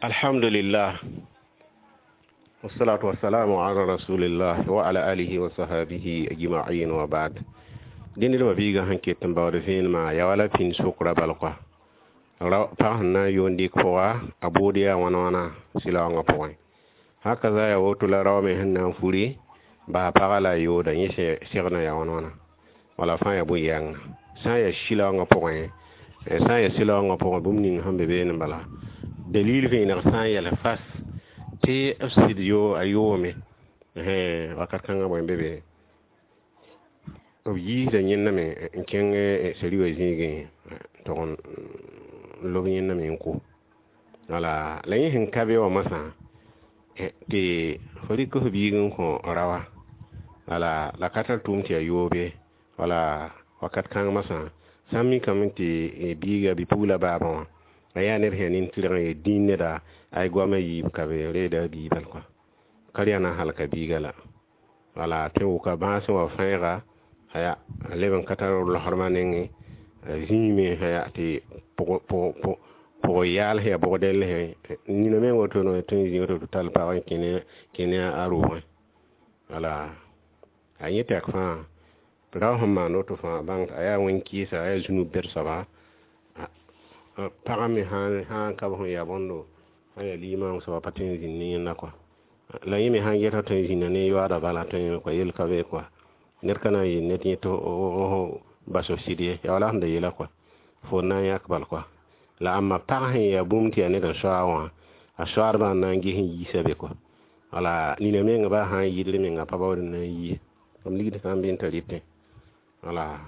Alhamdulillah, wassalatu wassalamu ala rasulillah wa ala alihi wa sahbihi ajma'in wa ba'd. Dẽnd d biiga sẽn ket n baood vẽenemã yaa wala pĩnd sʋkrã bal kɔa pag sẽn na n yoond dɩk pʋga a bood yaa wãna wãna sɩlaoongã pʋgẽ haka za yaa woto la rao me sẽn na n furi bas pagã la a yooda yẽ segdã yaa wãna wãna wala fãa yaa bõe-yãnga sã n yaa sɩlaoongã pʋgẽ sã n yaa sɩlaoongã pʋgẽ bũmb ning sẽn be beene bala dalil vẽeneg sã n yɛl fas tɩ b sɩd yo a yoome wakat kãngã bõe n be be b yiisda yẽndame n kẽng sari wã zĩigẽ tog n lob yẽndame n ko wala la yẽ sẽn ka be wã moasã tɩ fo rɩk f biig n kõ raoã wala la ka tar tʋʋm tɩ yaa yoobe wala wakat kãng moasã sã n mikame tɩ biiga bi-pugla baabã wã a yaa ned sẽn yaa nin-tɩrg n yaa dĩin neda ay goamã yiib ka be reeda a bii bal kɔa ka rɩ yaa na n halka biiga la wala tɩ wʋka bãasẽ wã fãeega aya a leb n ka tar losrmã nengẽ a zĩime aya tɩ pʋg yaal sẽn yaa bʋg-dɛll nina me woto no tõe n zĩ woto tɩ tall pag n kẽ ne a roogẽ wala a yẽ tɛk fãa rao sẽn maan woto fãa bãng a yaa wẽn-kɩɩsa a yaa zũnub bɛd soaba pagã me sã n ka b sẽn yaa bõndo sã n yaa limaam soaba pa tõe n zĩnd ne yẽnda kɔa la yẽ me sãn geta tõe n zĩnda ne yoaadã bala tõe kɔa yel ka be kɔa ned ka na n yeel ned yẽ tɩ bas f sɩd ye yaa wala sẽn da yeela kɔa fo na n yãk bal kɔa la ãmba pag sẽn yaa bũmb tɩ yaa ned n soaa wã a soaadbã n na n ges n yiisa be kɔa wala nina menga baa sã n yɩdr menga pa baood n na n yi ye b ligd sã n be n t'a rɩtẽ wala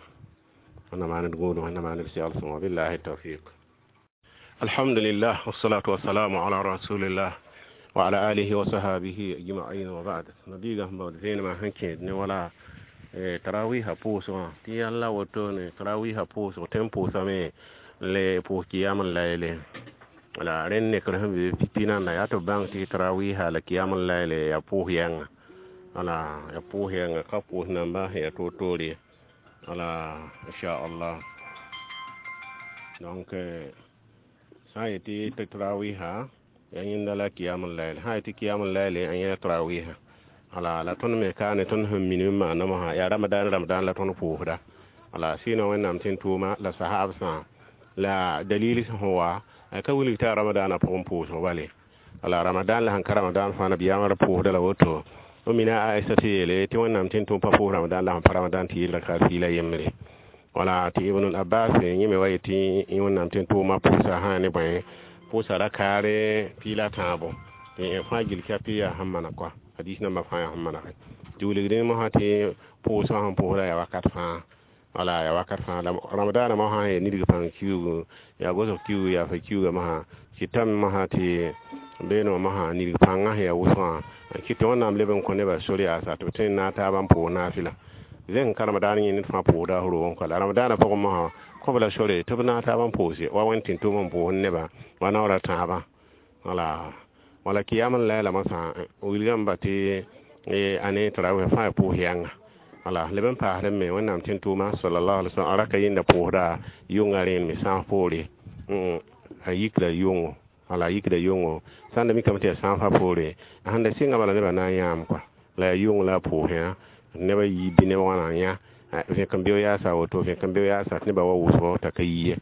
wẽnna maan d gũudum wẽnna maan d segl sõngo billahi tawfiq. Alhamdulillah, wassalatu wassalamu ala rasulillah wa ala alihi wa sahbihi ajma'in wa ba'd. Nabiga sẽn baood vẽenemã sẽn kẽed ne wala tarawiha pʋʋsgã tɩ yãlla woto ne tarawiha pʋʋsg tõe n pʋʋsame le pʋʋs kiyam n layle wala rẽnd nekr sẽn be pipi nanda yaa tɩ b bãng tɩ tarawiha la kiyam n layle yaa pʋʋs yɛnga wala yaa pʋʋs yɛnga ka pʋʋs namba sẽn yaa toor-toor ye wala inchallah. Donc sã n yetɩ tɩ tarawiha yaa yẽnda la kiyam n layle sã n yetɩ kiyam n layle a yẽ tarawiha wala la tõnd me kaane tõnd sẽn minim n maanda mosã yaa ramadan ramadan la tõnd pʋʋsda wala sɩɩnã wẽnnaam tɩ n tʋʋma la sahaabsã la dalil sẽn wa ka wilg tɩ a ramadaanã pʋgẽ pʋʋsg bale wala ramadan la sẽn ka ramadan fãa nabiyaamã ra pʋʋsda la woto o mina Aisa tɩ yeele tɩ wẽnnaam tɩ n tʋm pa pʋʋs ramadan la sẽn pa ramadan tɩ yɩl rakaat piila yembre wala tɩ Ibn Abbas yẽ me wa yetɩ wẽnnaam tɩ n tʋʋma pʋʋsa sã ne bõe pʋʋsa rakaare piila tãabo tɩ fãa gil kɛp yaa sẽn mana kɔa hadis nambã fãa yaa sẽn manage tɩ wilgdẽ mosã tɩ pʋʋsgã sẽn pʋʋsda yaa wakat fãa wala yaa wakat fãa la ramadaanã mosã sẽn yaa nidg pãng kiuugu yaa gosg kiuugu yaa fa kiuugã mosã tɩ tame mosã tɩ beene wã mosã nidg pãngã sẽn yaa wʋsgã kɩ tɩ wẽnnaam leb n kõ nebã sor yaasa tɩ b tõe n naag taabã n pʋʋs naafɩla zẽng ka ramadaan yẽ ned fãa pʋʋsda f roogẽ kɔa la ramadaanã pʋgẽ mosã kõ b la sore tɩ b naag taabã n pʋʋse wa wẽnd tɩ tʋʋm n pʋʋs nebã wa naoora tãabã wala wala kiyam n layla mosã wilgame tɩ ane tarawih fãa yaa pʋʋs yãnga wala leb n paasd me wẽnnaam tɩ n tʋʋma sallallahu alaihi wasallam a raka yẽnda pʋʋsda yʋnga rẽen me sãaf poore a yikda yʋngo wala a yikda yʋngo sã n da mikame tɩ yaa sãafã poore a sẽn da sɩnga bala nebã na n yãam kɔa la yaa yʋng la a pʋʋsẽ nebã yi bɩ neb wãna yã vẽk n beo yaasa woto vẽk n beo yaasa tɩ nebã wa wʋsgo t'a ka yi ye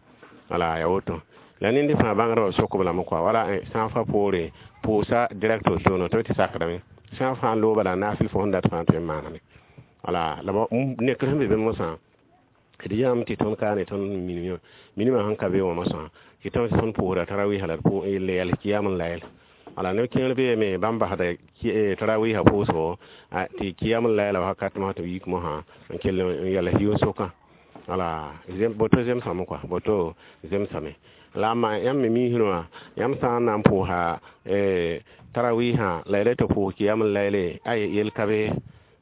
wala yaa woto la ned fãa bãngdbã sok b lame kɔa wala sãafã poore pʋʋsa direct wotono tɩ b tɩ sakdame sã n fãa n looba la naafɩl fo sẽn dat fãa tõe n maaname wala la nekr sẽn be be mosã d yãmb tɩ tõnd kaane tõnd minimã minimã sẽn ka be wã mosã tɩ tõnd tõnd pʋʋsda tarawiisã la d yɛl kiyam n layl wala neb kẽer beeme bãmb basda tarawiisã pʋʋsgo tɩ kiyam n layla wakat mosã tɩ b yik mosã n kell n yɛls yʋn-sʋkã wala boto zemsame kɔa boto zemsame la amma yãmb me miisrẽ wã yãmb sã n na n pʋʋsa tarawiisã la y tɩ pʋʋs kiyam n layle ay yel ka be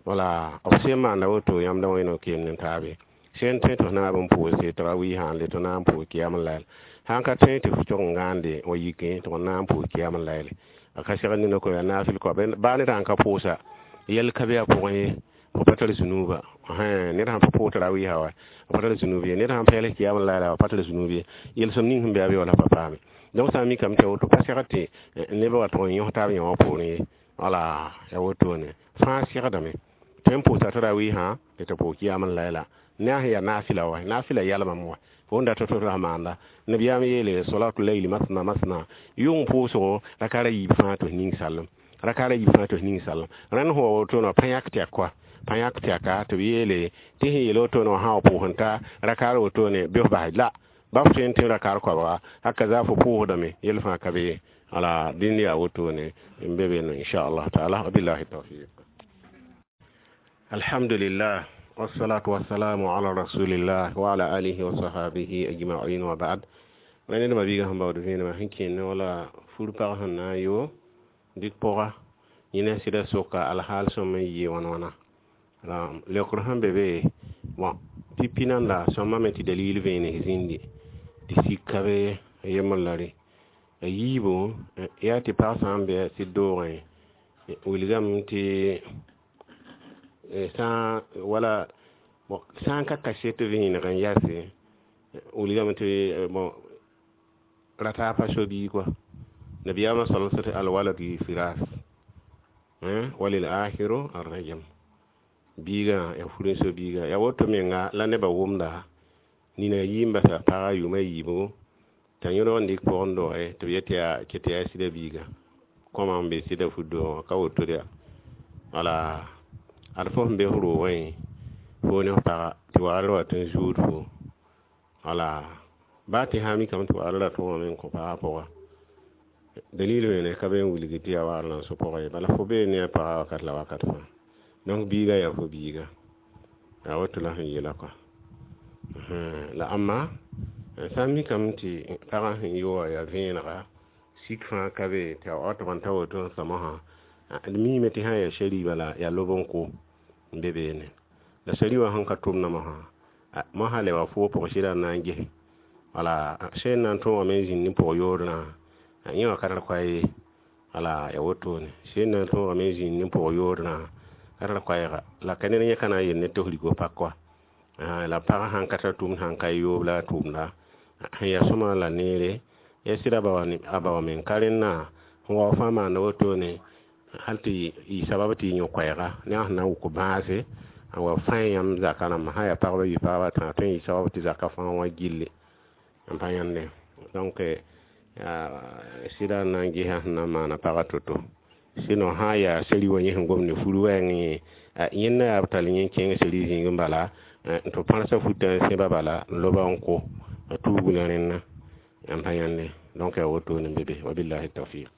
wala b sẽn maanda woto yãmb da wẽno keend n taabe sẽn tõe tɩ f naab n pʋʋse tarawiisã n le tɩ na n pʋʋs kiyam n layl sãn ka tõe tɩ f tog n gãande wa yikẽ tɩ f na n pʋʋs kiyam n layle a ka segd nina ko yaa naafɩl kɔa baa ned sãn ka pʋʋsa yɛl ka be a pʋgẽ ye fo pa tar zunuuba ned sãn pa pʋʋs tarawiisã wa pa tar zunub ye ned sãn pa yɛls kiyam n layla pa tar zunub ye yel-sõm ning sẽn be a be wala pa paame Donc sã n mikame tɩ woto pa segd tɩ neb wa tʋg n yõs taab yã wã poorẽ ye. Wala ya wotone fãa segdame tõe n pʋʋsa tarawiisã tɩ tɩ pʋʋs kiyam n layla ne a sẽn yaa naafɩla wa naafɩla yalmame wa fo n dat tɩ ra maanda nabiyaam yeele salatu layli masna masna yʋng pʋʋsgo raka ra yiib fãa tɩ f ning sallem raka ra yiib fãa tɩ f ning sallem rẽnd sẽn wa wotone pa yãk tɛk kɔa pa yãk tɛka tɩ b yeele tɩ sẽn yeel wotone wã sã wa pʋʋs n ta rakaar wotone bɩ f bas la ba f tõe n tẽ rakaar koabga haka za fo pʋʋsdame yel fãa ka be ye. Wala dĩnd yaa wotone n be beene inchallah taala wabillahi tawfiq. Alhamdulillah wassalatu wassalamu ala rasulillah wa ala alihi wa sahabihi ajma'in wa ba'd. Ra ned mabiiga sẽn baood vẽenemã sẽn kẽene wala fur-pag sẽn na n yo dɩk pʋga yẽna sɩda soka alhaal sõm n yɩ wãn wãna la leokr sẽn be be bon pipi nanda sõma me tɩ dalil vẽenes zĩndi tɩ sik ka be a yembr la rẽ a yiibu yaa tɩ pag sã n bɩ sɩd doogẽ wilgame tɩ sã wala bon sã n ka kaset vẽeneg n yase wilgame tɩ bon rata pa so-biig wa nabiyaamã sal tɩ alwalad lilfiras walil akhiru arrajam biigã ya fur n so biiga ya woto menga la nebã wʋmda nina yii n basa pagã yʋʋma yiibu t'a yõdg n dɩk pʋgẽ doge tɩ b yet yaa ket yaa sɩda biiga kõma n be sɩda fut-doogã ka woto yaa wala ad fo sẽn be f roogẽ foo ne f paga tɩ wagr wa tɩ n zuud fo wala baa tɩ sã mikame tɩ wagr ra tõogame n kõ pagã pʋga dalil wẽne ka be n wilg tɩ yaa wagr la n so pʋga ye bala fo bee ne a pagã wakat la wakat fãa donc biiga yaa fo biiga yaa woto la sẽn yeela kɔa la ãmba sã n mikame tɩ pagã sẽn yo wã yaa vẽenega sik fãa ka be tɩ a wa tʋg n ta woto n sõma sã d miime tɩ sã n yaa sari bala yaa lob n kʋ n be beene la sari wã sẽn ka tʋm na mosã mosã le wa foo pʋg sɩda n na n ges wala sẽn na n tõogame n zĩnd ne pʋg yoordã yẽ wã ka tar koa ye wala ya wotone sẽn na n tõogame n zĩnd ne pʋg yoordã ka tar koɛɛga la ka ned yẽ ka na n yel ne tɩ f rig pak wa la pagã sãn ka tar tʋʋmd sãn ka yoob la a tʋʋmda sẽn yaa sõma la neere ya sɩda a ba wa meng ka rẽnna sẽn wa fãa maanda wotone hal tɩ yɩ sabab tɩ y yõ koɛɛga ne a sẽn na n wʋk bãase n wa fãe yãmb zaka rãmba sã yaa pagba yi pagba tã tõe n yɩ sabab tɩ zaka fãa wã gilli n pa yãnde donc sɩda n na n gesa sẽn na n maana pagã to-to sinon sã n yaa sari wã yẽ sẽn gom ne fur wɛɛngẽ yẽ yẽnda yaa b tall yẽ kẽng sari zĩig n bala tɩ b pãrsa futã n sẽba bala n loba n kʋ a tuug la rẽnna n pa yãnde donc yaa wotone n be be wabillahi tawfiq.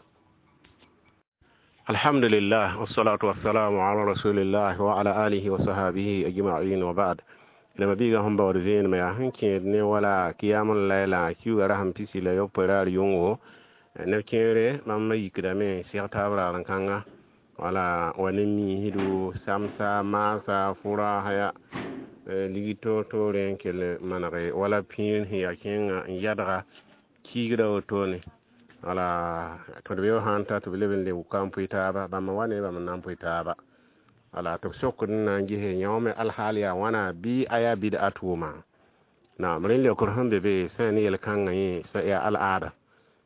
Alhamdulillah wassalatu wassalamu ala rasulillah wa ala alihi wa sahabihi ajma'in wa ba'd. La mabiiga sẽn baood vẽenemã yaa sẽn kẽed ne wala kiyam n layla kiuga ra sẽn pisi la yopoe raar yʋngo neb kẽere bãmb yikdame seg taab raar n kãnga wala wa ne miisdo samsa maasa fʋra haya ligd toor-toore n kell manege wala pĩir sẽn yaa kẽnga n yadga kiigda wotone wala tɩ d be sã n ta tɩ b leb n le wʋka n pʋɩ taaba bãmb wa ne bãmb n na n pʋɩ taaba wala tɩ b sokd n na n gese yõ me alhaal yaa wãna bɩ a yaa bɩd a tʋʋma naam rẽnd leokr sẽn be be sã ne yel-kãngã yẽ yaa al-aada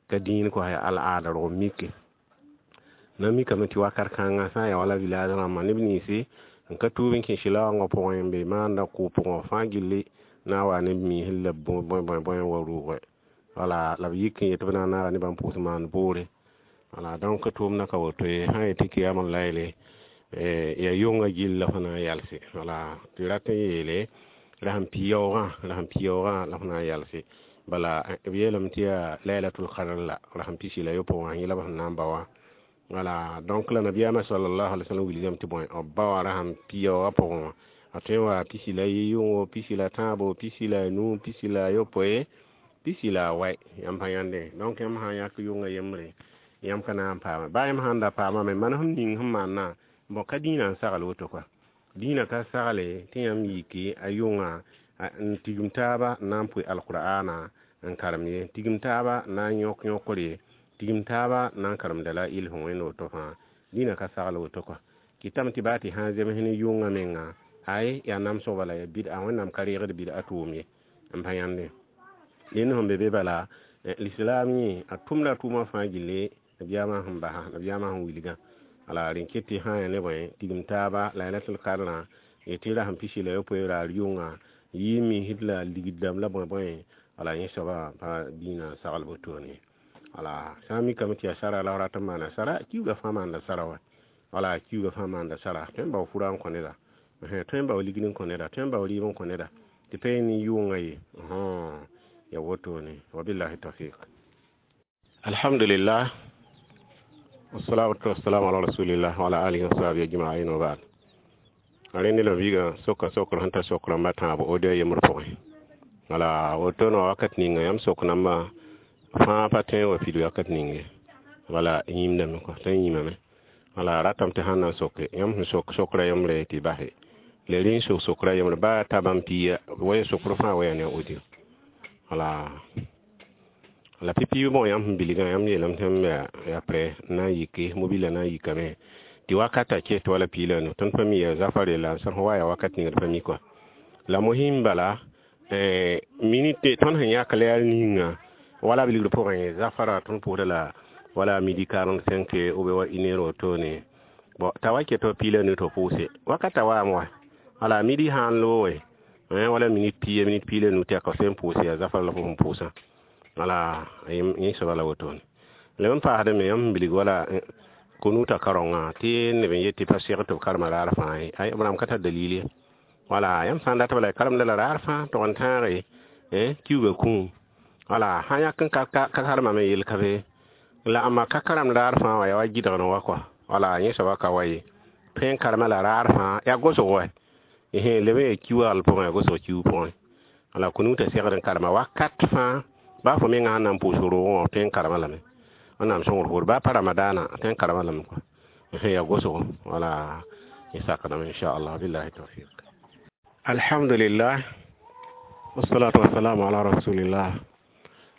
ka dĩin kɔ yaa al-aada rog mike na mikame tɩ wakat kãngã sã n yaa wala village rãmbã neb ninsi n ka tuub n kẽ sɩlaoongã pʋgẽ n be maanda kʋʋ pʋgẽ fãa gilli na n wa neb miisd la bõe bõe bõe wa rʋʋgɛ wala la b yik n yet b na n naaga nebã n pʋʋs maan boore wala donc tʋʋmdã ka woto ye sã n yetɩ kiyam n layle yaa yʋngã gill la fo na n yalse wala tɩ rat n yeele ra sẽn pi yaoogã la sẽn pi yaoogã la fo na n yalse bala b yeelame tɩ yaa lailatul qadr la ra sẽn pisi la yopoe wã yẽla b sẽn na n ba wã wala donc la nabiyaamã sallallahu alaihi wasallam wilgame tɩ bõe b ba wã ra sẽn pi yaoogã pʋgẽ wã a tõe n wa pisi la yʋngo pisi la tãabo pisi la nu pisi la yopoe pisi la a wɛ yãmb pa yãnde donc yãmb sã n yãk yʋngã yembre yãmb ka na n paama baa yãmb sã n da paamame man sẽn ning sẽn maannã bon ka dĩinã n sagl woto kɔa dĩinã ka sagle tɩ yãmb yiki a yʋngã n tigim taaba n na n pʋɩ alqur'ana n karem ye tigim taaba n na n yõk yõkr ye tigim taaba n na n karem dalail sẽn wẽnd woto fãa dĩinã ka sagl woto kɔa kɩtame tɩ baa tɩ sã n zems ne yʋngã menga ay yaa namsg bala yaa bid'a wẽnnaam ka reegd bid'a tʋʋm ye n pa yãnde dẽnd sẽn be be bala L'islam yẽ a tʋmda tʋʋmã fãa gilli nabiyaamã sẽn basa, nabiyaamã sẽn wilgã. Ala rẽn ket tɩ sã n yaa ne bõe tigim taaba lailatul kadrã tɩ rasem 16 raar yʋnga yɩ misd la ligd dãmb la bõe bõe. Ala yẽ soabã pa dĩinã sagl wotone. Ala sã n mikame tɩ yaa sara la f rat n maana sara, kiuugã fãa maanda sara wa. Wala kiuugã fãa maanda sara, tõe n bao fura n kõ neda, tõe n bao ligd n kõ neda, tõe n bao rɩɩb n kõ neda tɩ pa yẽ ne yʋʋngã ye. Ya wotone, wabillahi tawfiq. Alhamdulillah, wassalatu wassalamu ala rasulillah wa ala alihi wa sahbihi ajma'in wa ba'd. Rẽnd la viiga soka sokr sẽn ta sokr rãmba tãabo audio yembr pʋgẽ. Wala woto no wakat ninga yãmb sok namba fãa pa tõe n wa pid wakat ning ye. Wala yĩmdame kɔ tõe n yĩmame. Wala ratame tɩ sãn na n soke yãmb sẽn sok sokra yembre tɩ base la rẽ n sok sokra yembre baa ta bãmb pia wa sokr fãa wa yaa ne audio. Wala la pipi bõ yãmb sẽn bilgã yãmb yeelame tɩ m yaa prɛ n na n yike mobila na n yikame tɩ wakata ket wala 15. Tõnd pa mi yaa zafare la sẽn wa yaa wakat ning d pa mi kɔa. La mosɩm bala minute tõnd sẽn yãk la yaa ninga wala b ligd pʋgẽ zafara tõnd pʋʋsda la wala midi 45 ou bien wa une heure wotone. Bon, t'a wa ket wa 15 tɩ pʋʋse wakata waame wa. Wala midi sã n looge wala minute pia minute 15 tɩ yaa ka sẽn pʋʋse yaa zafara la fo sẽn pʋʋsã. Wala yẽ soaba la wotone. Lem n paasdame yãmb sẽn bilg wala kunuta karonga tɩ neb n yet tɩ pa seg tɩ b karema raar fãa ye. Ay, b rãmb ka tar dalil ye. Wala yãmb sã n dat bala karemda la raar fãa tog n tãage kiuugã kũum. Wala sã yãk n ka karemame yel ka be la ãmba ka karemd raar fãa wã yaa wa gɩdgd wa kɔa. Wala yẽ soaba ka wa ye tõe n karema la raar fãa yaa gosg wa leb n yaa kiu-wagl pʋgẽ yaa gosg kiug pʋgẽ. Wala kunuta segd n karema wakat fãa baa fo menga sãn na n pʋʋs roogẽ wã tõe n karema lame. Wẽnnaam sõngr poor baa pa ramadaana tõe n karema lame kɔa yaa gosgo. Wala yẽ sakdame inchallah, billahi tawfiq. Alhamdulillah, wassalatu wassalamu ala rasulillah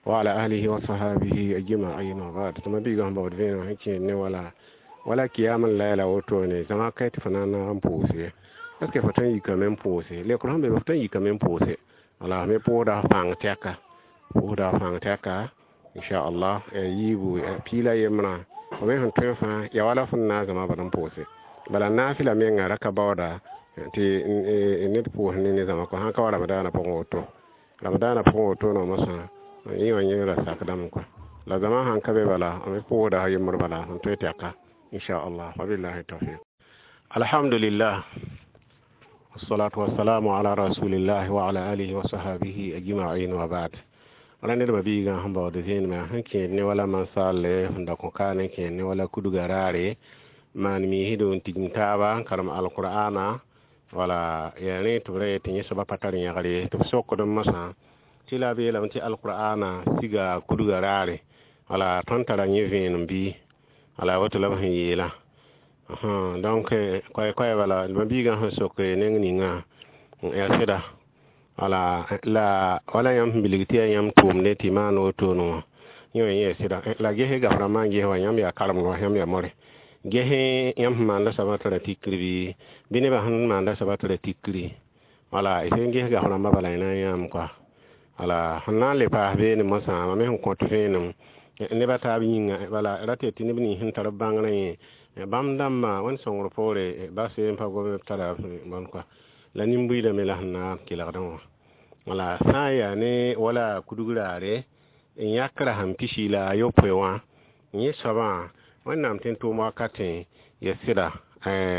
wa ala alihi wa sahabihi ajma'in wa ba'd. Tɩ ma-biigã sẽn baood vẽeneg sẽn kẽed ne wala wala kiyam n layla wotone zãma ka tɩ fo na n naag n pʋʋse. Est ce que fo tõe n yikame n pʋʋse lekr sẽn be fo tõe n yikame n pʋʋse? Wala me pʋʋsda fãng tɛka, pʋʋsda fãng tɛka inchallah yiibu piila yembrã fo me sẽn tõe fãa ya wala fõn na n zãma bala n pʋʋse. Bala naafɩla menga raka baooda tɩ ned pʋʋs ne zãma kɔ sãn ka wa ramadaanã pʋgẽ woto. Ramadaanã pʋgẽ woto no mosã yẽ wã yẽ ra sakdame kɔa. La zãma sãn ka be bala a me pʋʋsda yembr bala sẽn tõe tɛka inchallah, wabillahi tawfiq. Alhamdulillah, wassalatu wassalamu ala rasulillah wa ala alihi wa sahabihi ajma'in wa ba'd. Wala ned ma biigã sẽn baood vẽenemã sẽn kẽed ne wala mansaalle sẽn da kõ kaan n kẽed ne wala kudga raare maan miisdo n tigim taaba n karem alqur'ana. Wala yaa rẽ tɩ b ra yet tɩ yẽ soaba pa tar yãgr ye tɩ b sokd mosã tɩ la b yeelame tɩ alqur'ana siga kudga raare. Wala tõnd tara yẽ vẽenem bɩ wala woto la b sẽn yeelã. Donc koɛ-koɛ bala ma-biigã sẽn sok neng ninga yaa sɩda. Wala la wala yãmb sẽn bilg tɩ yaa yãmb tʋʋmde tɩ maan wotone wã yẽ wã yẽ sɩda. La ges gaf rãmbã n ges wa yãmb yaa karemd wa yãmb yaa more ges yãmb sẽn maanda soabã tara tikr bɩ nebã sẽn maanda soabã tara tikri. Wala y sẽn ges gaf rãmbã bala y na n yãam kɔa. Wala sẽn na n le paas beene mosã mam me sẽn kõt vẽenem nebã taab yĩnga bala ra tɩ tɩ neb nins sẽn tar b bãngrã yẽ bãmb dãmbã wẽnd sõngr poore bas n pa gom tara bõn kɔa la nin-buiidame la sẽn na n kelgdẽ wã. Wala sã n yaa ne wala kudg raare n yãk rasem 16 wã yẽ soabã wẽnnaam tɩ n tʋʋm wakatẽ ya sɩda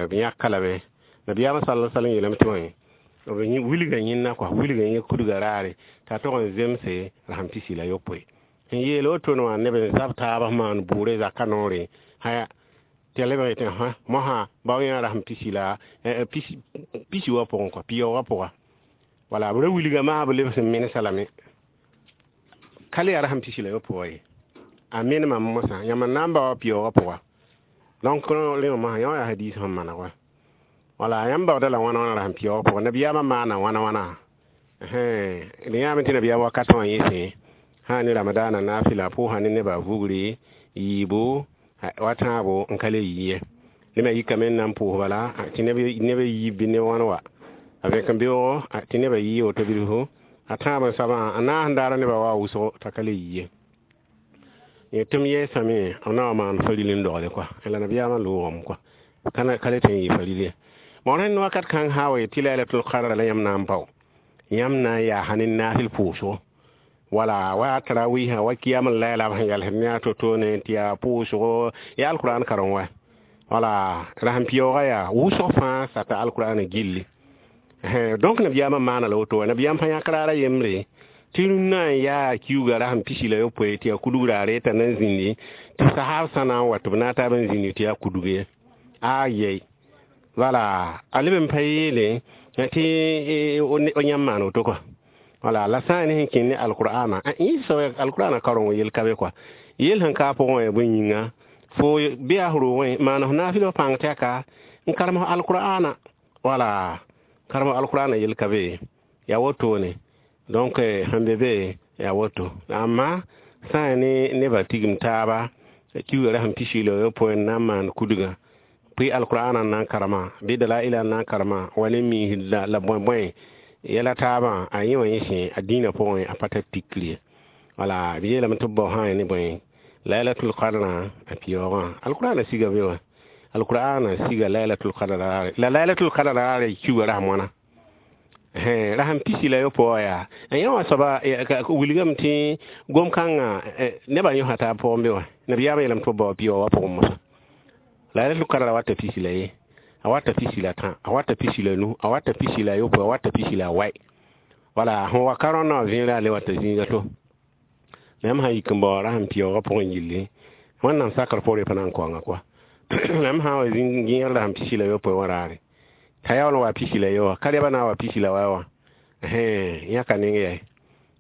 b yãka lame. Nabiyaamã sala sallam yeelame tɩ wã b wilga yẽnna kɔa wilga yẽ kudga raare t'a tog n zemse rasem 16 sẽn yeel wotone wã neb n zab taab sẽn maan bʋʋre zaka noore haya tɩ lebg yetẽ mosã bao yã rasem pisi la pisi wã pʋgẽ kɔa piyaoogã pʋga. Wala b ra wilga maa b lebs n mensa lame ka le yaa rasem 16 wã ye a menemame mosã yãmb n na n bao piyaoogã pʋga. Donc rẽ wã mosã yã wã yaa hadiis sẽn maneg wa. Wala yãmb baooda la wãna wãna rasem piyaoogã pʋga nabiyaamã maana wãna wãna d yãame tɩ nabiyaam wakatã wã yẽsẽ sã ne ramadaana naafɩla pʋʋsã ne nebã vugre yiibu wa tãabo n ka le yi ye nebã yikame n na n pʋʋs bala tɩ neb yiib bɩ neb wãn wa a vẽk n beoogo tɩ nebã yɩ woto bilfu a tãab n soabã a naas n daara nebã wa wʋsgo t'a ka le yi ye. Tɩ m yɛɛsame b na wa maan faril n dogle kɔa la nabiyaamã loogame kɔa ka le tõe n yɩ faril ye. Bõn rẽnd wakat kãng sã n wa yet tɩ lailatul qadra la yãmb na n bao, yãmb na n yaasa ne naafɩl pʋʋsgo, wala wa tarawiisã wa kiyam n laila b sẽn yalsd ne a to-to ne tɩ yaa pʋʋsgo, yaa alkurãan karen wa, wala rasem-pɛoogã yaa wʋsg fãa sata alkurãanã gilli. Donc nabiyaamã maana la woto wa, nabiyaam pa yãk raara yembre tɩ rũnnã n yaa kiuga rasem 61 tɩ yaa kudg raare t'a na n zĩndi, tɩ sahab sã na n wa tɩ b na n taab n zĩndi tɩ yaa kudg ye. A yɛi wala a leb n pa yeele tɩ yãmb maan woto kɔa. Wala la sã n ne sẽn kẽnd ne alkur'aana, yẽ alkur'aana kareng yel ka be kɔa, yel sẽn ka a pʋgẽ wã yaa bõe yĩnga, fo bɩ yaa f roogẽ maan f naafɩl f pãng tɛka n karem f alkur'aana, wala karem alkur'aana yel ka be, yaa wotone. Donc sẽn be be yaa woto. Amma sã n ne nebã tigim taaba kiuga rasem 61 n na n maan kudgã, pʋɩ alkur'aana n na n karema bɩ dalaila n na n karema wa ne miis la bõe-bõe yɛla taabã, a yẽ wã yẽ sẽ a dĩinã pʋgẽ a pa tar tikr ye. Wala b yeelame tɩ b bao sã n ne bõe lailatul qadrã a pɛoogã, alkur'aana siga be wã, alkur'aana siga lailatul qadr raare, la lailatul qadr raare kiuga rasem wãna rasem 61 wã yaa yẽ wã soaba wilgame tɩ gom-kãngã nebã yõsa taab pʋgẽ be wã, nabiyaamã yeelame tɩ b bao pɛoogã pʋgẽ mosã. Lailatul qadr a wata 41, a wata 13, a wata 15, a wata 16, a wata 40. Wala sẽn wa ka rõndã wã vẽera a le wata zĩiga to. La yãmb sã n yik n bao rasem pɛoogã pʋgẽ yilli, wẽnnaam sakr poorẽ pa na n kaoanga kɔa. La yãmb sã n wa gẽegr rasem 61 wã raare, t'a yaool n wa 41 wã, ka rɛbã na n wa 41 wã, yãka neng yɛ.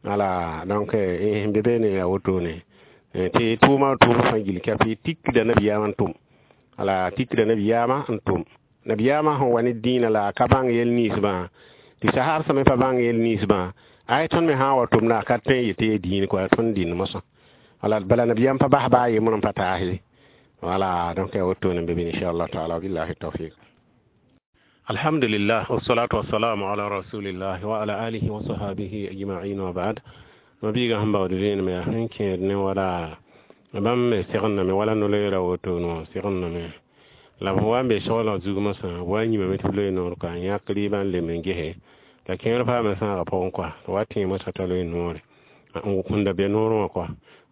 Wala donc sẽn be beene yaa wotone tɩ tʋʋma tʋʋm fãa gill kɛp tikda nabiyaamã n tʋm. Wala tikda nabiyaamã n tʋm. Nabiyaamã sẽn wa ne dĩinã la a ka bãng yɛl ninsbã, tɩ sahab sã me pa bãng yɛl ninsbã, ay tõnd me sã n wa tʋmda a ka tõe n yetɩ yaa dĩin kɔa, tõnd dĩnd mosã. Wala bala nabiyaam pa bas baa yembr n pa taas ye. Wala donc yaa wotone n be bɩ inchallah taala, billahi tawfiq. Alhamdulillah, wassalatu wassalamu ala rasulillah wa ala alihi wa sahabihi ajma'in wa ba'd. Mabiiga sẽn baood vẽenem yaa sẽn kẽed ne wala bãmb me segendame wala no-loeera wotono segendame la b wa n be soglg zug mosã, b wa n yĩmame tɩ b loe noor kɔa, n yãk rɩɩbã n lem n gese la kẽer paame sãaga pʋgẽ kɔa, tɩ wa tẽe mosã t'a loe noore n da be noorẽ wã kɔa,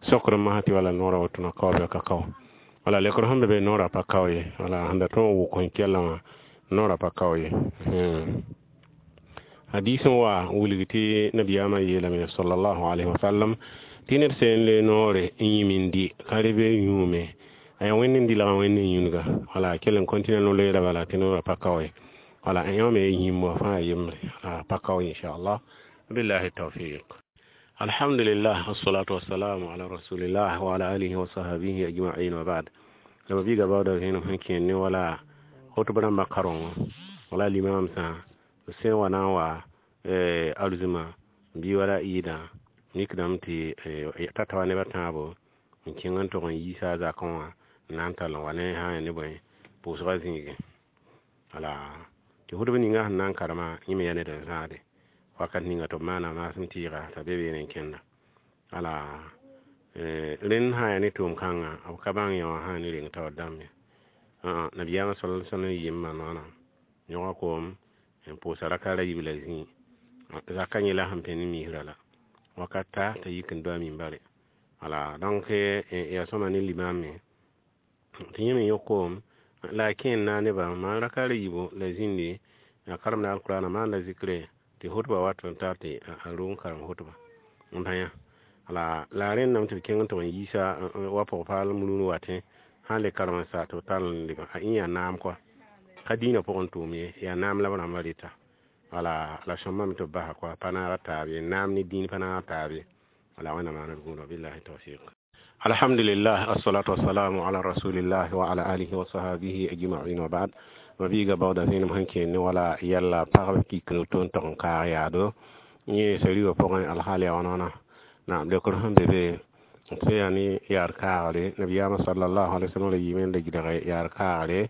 sokr n masã tɩ wala noorã wotona kao bɩ ka kao. Wala lekr sẽn be be noorã pa kao ye, wala sẽn da tõe n wʋk n kɛlã wã noorã pa kao ye. Hadis n wa wilg tɩ nabiyaamã yeelame sallallahu alayhi wa sallam tɩ ned sẽn n loe noore n yĩm n dɩ ka rebe yũume, a yaa wẽnd n dɩlga wẽnd n yũudga, wala kell n kõntɩna no-loeera bala tɩ noorã pa kao ye. Wala yã me yĩmb wã fãa yembre a pa kao inchallah, billahi tawfiq. Alhamdulillah, wassalatu wassalamu ala rasulillah wa ala alihi wa sahbihi ajma'in wa ba'd. La mabiiga baooda vẽenem sẽn kẽer ne wala khutb rãmbã karengã, wala limam sã sẽn wa na n wa arzũma bɩ wala ɩɩdã mikdame tɩ t'a ta wa nebã tãabo n kẽng n tog n yiisa a zakẽ wã n na n tall n wa ne sã n yaa ne bõe pʋʋsgã zĩigẽ. Wala tɩ khutb ninga sẽn na n karema yẽ me yaa ned n zãade wakat ninga tɩ b maana maasem tɩɩga t'a be beene n kẽnda. Wala rẽnd sã n yaa ne tʋʋm-kãngã b ka bãng yã wã sã n ne reng taoor dãmb ye. Nabiyaamã sal sallam yɩɩm maan wãna yõga koom n pʋʋsa raka ra yiib la zĩig zaka yẽ la sẽn pẽ ne misrã la wakat ta t'a yik n do a mimbare. Wala donc yaa sõma ne limam me tɩ yẽ me yõk koom la a kẽ n naag nebã maan raka ra yiibu la zĩndi a karemda alkurana maan la zikre tɩ khutba wat n tar tɩ a rog n karem khutba n pa yã. Wala la rẽndame tɩ b kẽng n tɩ n yiisa wa pʋg-paal rũn watẽ sã n le karem n sa tɩ b tall n leba a ĩn yaa naam kɔa, ka dĩinã pʋgẽ tʋʋm ye, yaa naam la b rãmbã rɩta. Wala la sõmbame tɩ b basa kɔa pa naaga taab ye, naam ne dĩin pa naaga taab ye. Wala wẽnnaam maana d gũudã, billahi tawfiq. Alhamdulillah, assalatu wassalamu ala rasulillah wa ala alihi wa sahbihi ajma'in wa ba'd. Mabiiga baooda vẽenem sẽn kẽer ne wala yɛlla pagb kik to n tog n kaag yaado yẽ sariwã pʋgẽ alhaal yaa wãna wãna. Naam lekr sẽn be be tɩ yaa ne yaad kaagre, nabiyaamã sallallahu alaihi wasallam ra yiime n da gɩdge yaad kaagre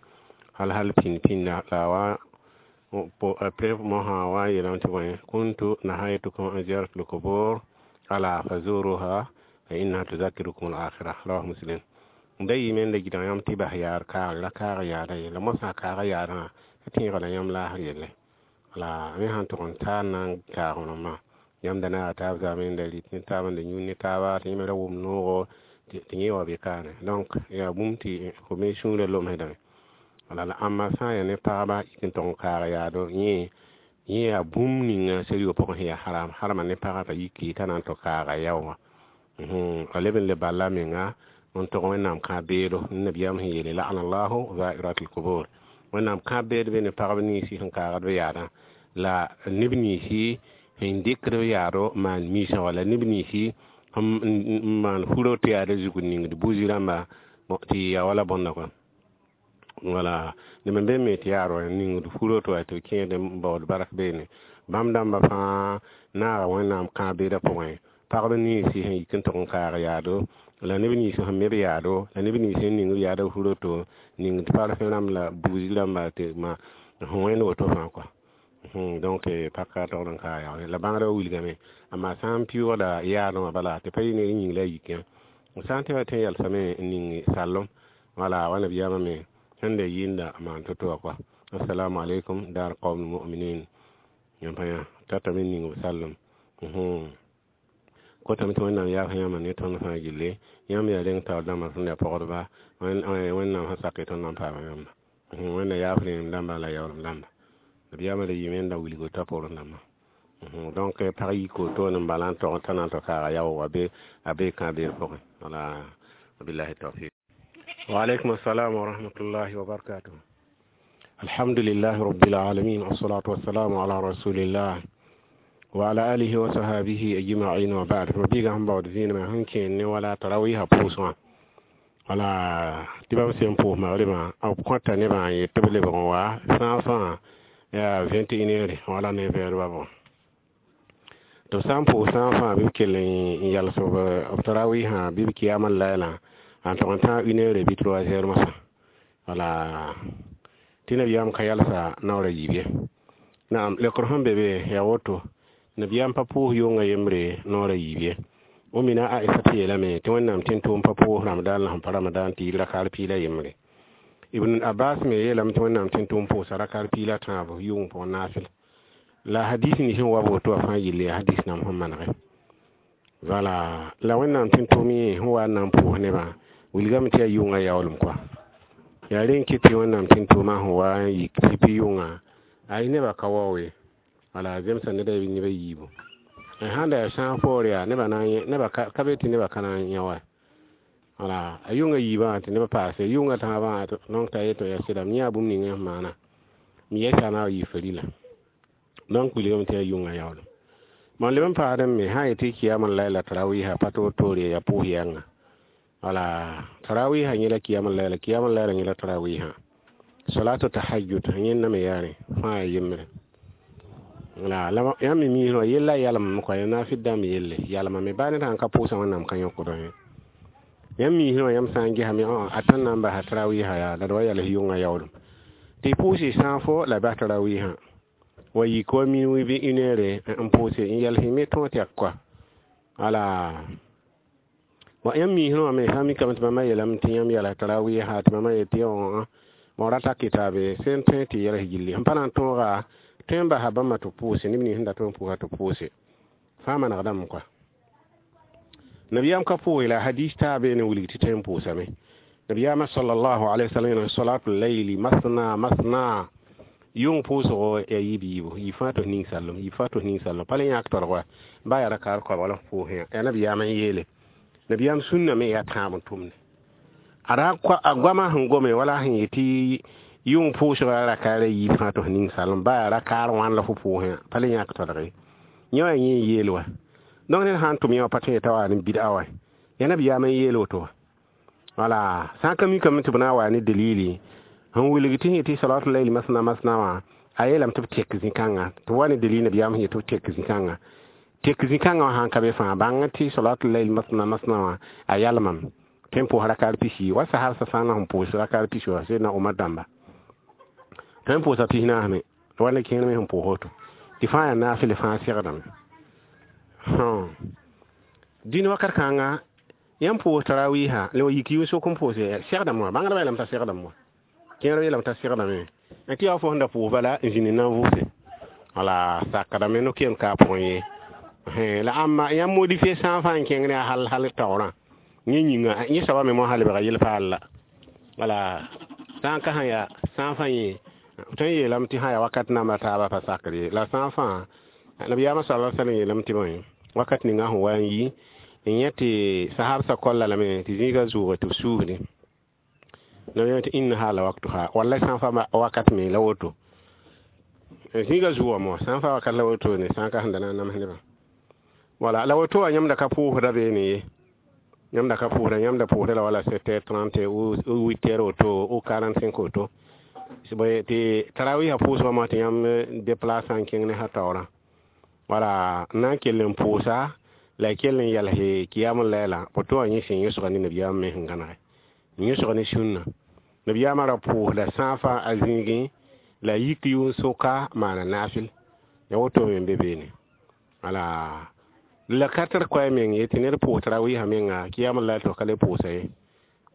hal hal pĩnd pĩnda la wa après mosã wa n yeelame tɩ bõe kuntu nahaytukum an ziyaratul kubur ala fazuruha Fa innaha tuzakirukum al-akhirah. Rawahu Muslim. Da yɩ me n da gɩdg yãmb tɩ bas yaad kaagre la kaaga yaada ye la mosã kaaga yaadã t'a tẽega la yãmb laasr yelle. La me sãn tʋg n taa n na n kaag rãmbã yãmb da naaga taab zaame n da rɩt ne taab n da yũud ne taaba tɩ yẽ me ra wʋm noogo tɩ yẽ wa be kaane. Donc yaa bũmb tɩ fo me sũurã lomsdame. Wala la ãmba sã n yaa ne pagba yik n tʋg n kaaga yaado yẽ yaa bũmb ninga sariya pʋgẽ sẽn yaa haram harama ne pagã t'a yiki t'a na n tɩ kaaga yao wã. A leb n le bala menga n tʋg Wẽnnaam kãab-beedo nabiyaam sẽn yeele la'anallahu zairatil qubur. Wẽnnaam kãab-beed be ne pagb ninsi sẽn kaagd b yaadã la neb ninsi sẽn dɩkd b yaado maan miisã wala neb ninsi n maan furo tɩ yaada zug n ningd buzi rãmba tɩ ya wala bõnda kɔa. Wala neb n be me tɩ yaad wa ningd furo tɩ wa tɩ b kẽed n baood bark beene bãmb dãmbã fãa naaga Wẽnnaam kãab-beedã pʋgẽ pagb ninsi sẽn yik n tʋg n kaag yaado la neb nins sẽn me b yaado la neb nins sẽn ning b yaada furo to ningd parfum rãmb la buzi rãmba tɩ ma sẽn wẽnd woto fãa kɔa. Donc paka togd n kaag yaool la bãngrã wilgame amma sã n pɩʋʋgda yaadẽ wã bala tɩ pa yɩ ned yĩng la a yik yã sã n tɩ wa tɩ n yalsame n ning sallem wala wa nabiyaamã me sẽn da yɩɩnda maan to-to wã kɔa. Assalamu alaikum dar qawm mu'minin yãmb pa yã tatame n ning b sallem kotame tɩ Wẽnnaam yaaf yãmba ne tõnd fãa gilli yãmb yaa reng taoor dãmbã sẽn da pɔgdba Wẽnnaam sẽn sak tõnd na n paama yãmba Wẽnna yaaf rẽem dãmba la yaoolem dãmba nabiyaamã da yɩɩme n da wilg t'a poorẽ dãmbã. Donc pag yik woto n bala n tog t'a na n tɩ kaaga yaoog a be kãab-beer pʋgẽ. Wala wabillahi tawfiq. Wa alaikum assalam wa rahmatullahi wa barakatuh. Alhamdulillahi rabbil alamin wassalatu wassalamu ala rasulillah wa ala alihi wa sahbihi ajma'in wa ba'd. Mabiga sẽn baood zĩinamã sẽn kẽen ne wala tarawiisã pʋʋs wã wala tɩ bãmb sẽn pʋʋs magribã b kõta nebã n yet tɩ b lebg n wa sãag fãa yaa 21 heures wala 9 heures ba bõ. Tɩ b sã n pʋʋs sãag fãa bɩ b kell n yals b tarawiisã bɩ b kiyama lailã n tʋg n tãag 1 heure bɩ 3 heures mosã wala tɩ nabiyaam ka yalsa naoor a yiib ye. Naam lekr sẽn be be yaa woto nabiyaam pa pʋʋs yʋnga yembre noor a yiib ye. O mina Aisata yeelame tɩ Wẽnnaam tɩ n tʋʋm pa pʋʋs Ramadan la sẽn pa Ramadan tɩ yɩ rakar piila yembre. Ibn Abbas me yeelame tɩ Wẽnnaam tɩ n tʋʋm pʋʋsa rakar piila tãabo yʋng pʋgẽ naafɩl. La hadis ning sẽn wa woto wã fãa yelle yaa hadis nam sẽn manege. Wala la Wẽnnaam tɩ n tʋʋm yẽ sẽn wa n na n pʋʋs nebã wilgame tɩ yaa yʋnga yaoolem kɔa. Yaa rẽ n kɩt tɩ Wẽnnaam tɩ n tʋʋmã sẽn wa n yik tɩ yʋnga ay nebã ka waoe wala zemsa ned a neb a yiibu. Sãn da yaa sãag poor yaa nebã na n nebã ka be tɩ nebã ka na n yã wa. Wala a yʋnga yiibã tɩ nebã paase yʋnga tãabã donc t'a yetɩ yaa sɩda m yãa bũmb ninga sẽn maana m yɛsa na n yɩ farila. Donc wilgame tɩ yaa yʋnga yaoolem. Mam leb n paadẽ me sã n yetɩ kiyama laila tarawiisã pa toor-toore yaa pʋʋs yɛnga. Wala tarawiisã yẽla kiyama laila kiyama laila yẽla tarawiisã. Salatu tahajjud yẽnda me yaare fãa yembre. La yãmb me miisẽ wã yella yalmame kɔa ya naafɩd dãmb yelle yalmame baa ned sãn ka pʋʋsã Wẽnnaam ka yõkdã ye. Yãmb miisẽ wã yãmb sã n gesame a tõnd na n basa tarawiisã yaa la d wa yals yʋngã yaoolem. Tɩ y pʋʋs y sãag fo la bas tarawiisã wa yik wa minuit bɩ une heure n pʋʋse n yals y me tõog tɩ yak kɔa. Wala wa yãmb miisẽ wã me sã n mikame tɩ bãmba yeelame tɩ yãmb yals tarawiisã tɩ bãmba yet tɩ bõn rata kitabe sẽn tõe tɩ yals gilli sẽn pa na n tõoga tõe n basa bãmba tɩ pʋʋse neb nins sẽn dat n pʋʋsa tɩ pʋʋse fãa manegdame kɔa. Nabiyaam ka pʋʋse la hadis taa beene wilg tɩ tõe n pʋʋsame. Nabiyaamã sallallahu alaihi wasallam yeelame salatul layli masna masna yʋng pʋʋsgo yaa yiib yiibu yib fãa tɩ f ning sallem yib fãa tɩ f ning sallem pa le yãk tolg wa baa yaa rakar koabg la f pʋʋsẽ yã yaa nabiyaamã n yeele. Nabiyaam sũnna me yaa tãab n tʋmde. A goamã sẽn gome wala sẽn yetɩ yʋng pʋʋsga rakar a yiib fãa tɩ f ning sallem baa yaa rakar wãn la fo pʋʋsẽ yã pa le yãk tolg ye. Yẽ wã yẽ n yeel wa. Donc ned sãn n tʋm yã wã pa tõe t'a wa ne bid'a wa. Yaa nabiyaamã n yeel woto wã. Wala sã n ka mikame tɩ b na n wa ne dalili sẽn wilg tɩ yetɩ salatul layli masna masna wã a yeelame tɩ b tek zĩ-kãngã tɩ wa ne dalil nabiyaam sẽn yet tɩ b tek zĩ-kãngã. Tek zĩ-kãngã wã sãn ka be fãa bãng tɩ salatul layli masna masna wã a yalmame tõe n pʋʋs rakar pisi wa sahab sã na sẽn pʋʋs rakar pisi wã Seydna Omar dãmba tõe n pʋʋsa pis naas me wa ne kẽer me sẽn pʋʋs woto tɩ fãa yaa naafɩl fãa segdame. Dĩn wakat kãnga Yãmb pʋʋs tarawiisã la wa yik yʋn-sok n pʋʋse segdame wã bãngdbã yeelame t'a segdame wã kẽerb yeelame t'a segdame tɩ yaa fo sẽn da pʋʋs bala n zĩnd n na n vʋʋse wala sakdame no-keem ka a pʋgẽ ye la ãmba yãmb modifier sã n fãa n kẽng ne a hal hal taoorã yẽ yĩnga yẽ soaba me mosã lebga yel-paal la wala sã n ka sã yaa sã n fãa yẽ tõe n yeelame tɩ sã yaa wakat namba taabã pa sakd ye la sã n fãa nabiyaamã sala sallam yeelame tɩ bõe wakat ninga sẽn wa n yi n yẽ tɩ sahabsã kolla lame tɩ zĩigã zʋʋge tɩ b suusde nabiyaam tɩ innaha la waktuha wallay sã n fa wakat me la woto zĩigã zʋʋga mo sã n fa wakat la woto ne sã n ka sẽn da na n nams nebã wala la woto wã yãmb da ka pʋʋsda beene ye yãmb da ka pʋʋsda yãmb da pʋʋsda la wala 7h30 ou 8h woto ou 45 woto tɩ tarawiisã pʋʋsgã mo tɩ yãmb déplace n kẽng ne sã taoorã wala n na n kell n pʋʋsa la y kell n yals kiyam laila woto wã yẽ sẽn yõsga ne nabiyaam me sẽn gãnege n yõsga ne sũnna nabiyaamã ra pʋʋsda sã n fãa a zĩigẽ la yik yʋn-soka maana naafɩl ya woto me n be beene wala la ka tar koɛɛ meng ye tɩ ned pʋʋs tarawiisã menga kiyam lail tɩ f ka le pʋʋsa ye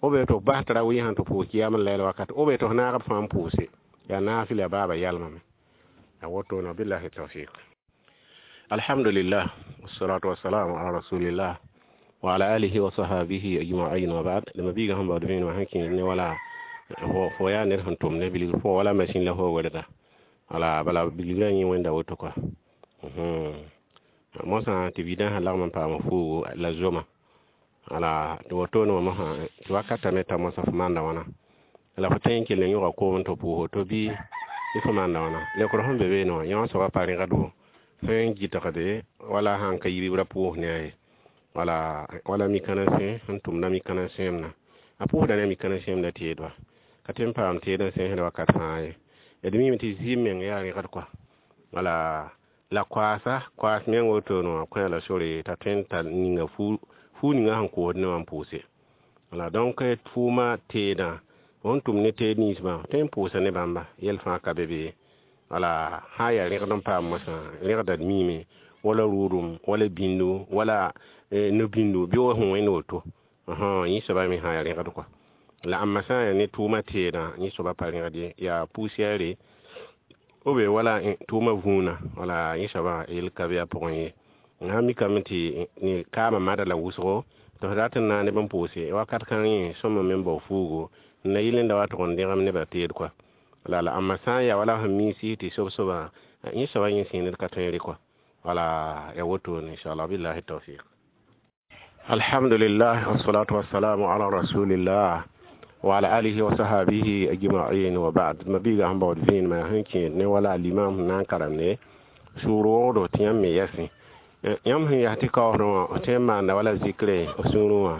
b tɩ f bas tarawiisã tɩ pʋʋs kiyam lail wakat b tɩ f naag b fãa n pʋʋse yaa naafɩl yaa baaba yalmame ya wotone billahi tawfiq. Alhamdulillah, wassalatu wassalamu ala rasulillah wa ala alihi wa sahbihi ajma'in, wa ba'd. Lama biiga sẽn baood vẽenemã sẽn kẽed ne wala fo yaa ned sẽn tʋm ne bilgr pʋgã wala masin la fo welga wala bala bilgrã yẽ wẽnda woto kɔa mosã tɩ vidã sã lagm n paam fuugo la zoma wala tɩ wotone wã mosã tɩ wakata me ta mosã fo maanda wãna la fo tõe n kell n yõga koom tɩ pʋʋs woto bɩ tɩ fo maanda wãna leokr sẽn be beene wã yẽ wã soaba pa rẽgdo sẽn gɩtgde wala sãn ka yibra pʋʋs ne a ye wala wala mikãna sẽ sẽn tʋmda mikãna sẽemna a pʋʋsda ne a mikãna sẽemda teedba ka tõe n paam teed n sẽsd wakat fãa ye d mime tɩ zɩɩm meng yaa rẽgd kɔa wala la koaasa koaas meng wotone wã kõ la sore t'a tõe n tar ninga fuu ninga sẽn koosd ne wã n pʋʋse wala donc tʋʋma teedã fo tʋm ne teed ninsbã tõe n pʋʋsa ne bãmba yɛl fãa ka be be wala sã n yaa rẽgd n paam mosã rẽgda d miime wala rʋʋdem wala bĩndu wala no-bĩndu bɩ wa sẽn wẽnd woto yẽ soaba me sã yaa rẽgd kɔa la ãmba sã n yaa ne tʋʋma teedã yẽ soaba pa rẽgd ye yaa poussière ou bien wala tʋʋma vũuna wala yẽ soaba yel ka be a pʋgẽ ye sã mikame tɩ kaamã mada la wʋsgo tɩ f rat n na neb n pʋʋse wakat kãng yẽ sõma me n bao fuugo n na yɩl n da wa tʋg n dẽgem nebã teed kɔa la la ãmba sã n yaa wala sẽn miisi tɩ sob-soba yẽ soaba yẽ sẽn ned ka tõe n rɩ kɔa wala ya wotone inchallah billahi tawfiq. Alhamdulillah, wassalatu wassalamu ala rasulillah wa ala alihi wa sahbihi ajma'in, wa ba'd. Mabiiga sẽn baood vẽenemã sẽn kẽed ne wala limam sẽn na n karem ne sũur wogdo tɩ yãmb me yɛsẽ yãmb sẽn yaa tɩ kaoosdẽ wã f tõe n maanda wala zikre f sũurẽ wã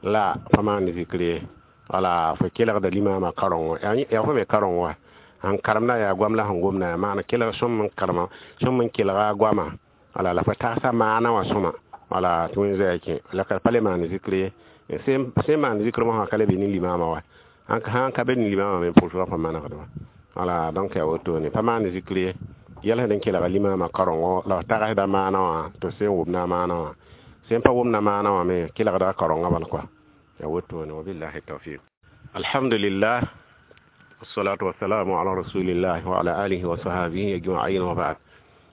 la pa maand zikr ye wala fo kelgda limamã karengo yaa fo me kareng wa sẽn karemda yaa goam la sẽn gomda yaa maana kelg sõm n karema sõm n kelga goamã wala la fo tagsa maana wã sõma wala tɩ wẽn zaya kẽ la ka pa le maan zikr ye sẽn maan zikr mosã ka le be ne limamã wa sãn ka be ne limamã me pʋʋsgã pa manegd wa wala donc yaa wotone pa maan zikr ye yɛlsd n kelga limamã karengo la f tagsda maana wã tɩ sẽn wʋmda maana wã sẽn pa wʋmda maana wã me kelgda karengã bal kɔa ya wotone wabillahi tawfiq. Alhamdulillah, wassalatu wassalamu ala rasulillah wa ala alihi wa sahbihi ajma'in, wa ba'd.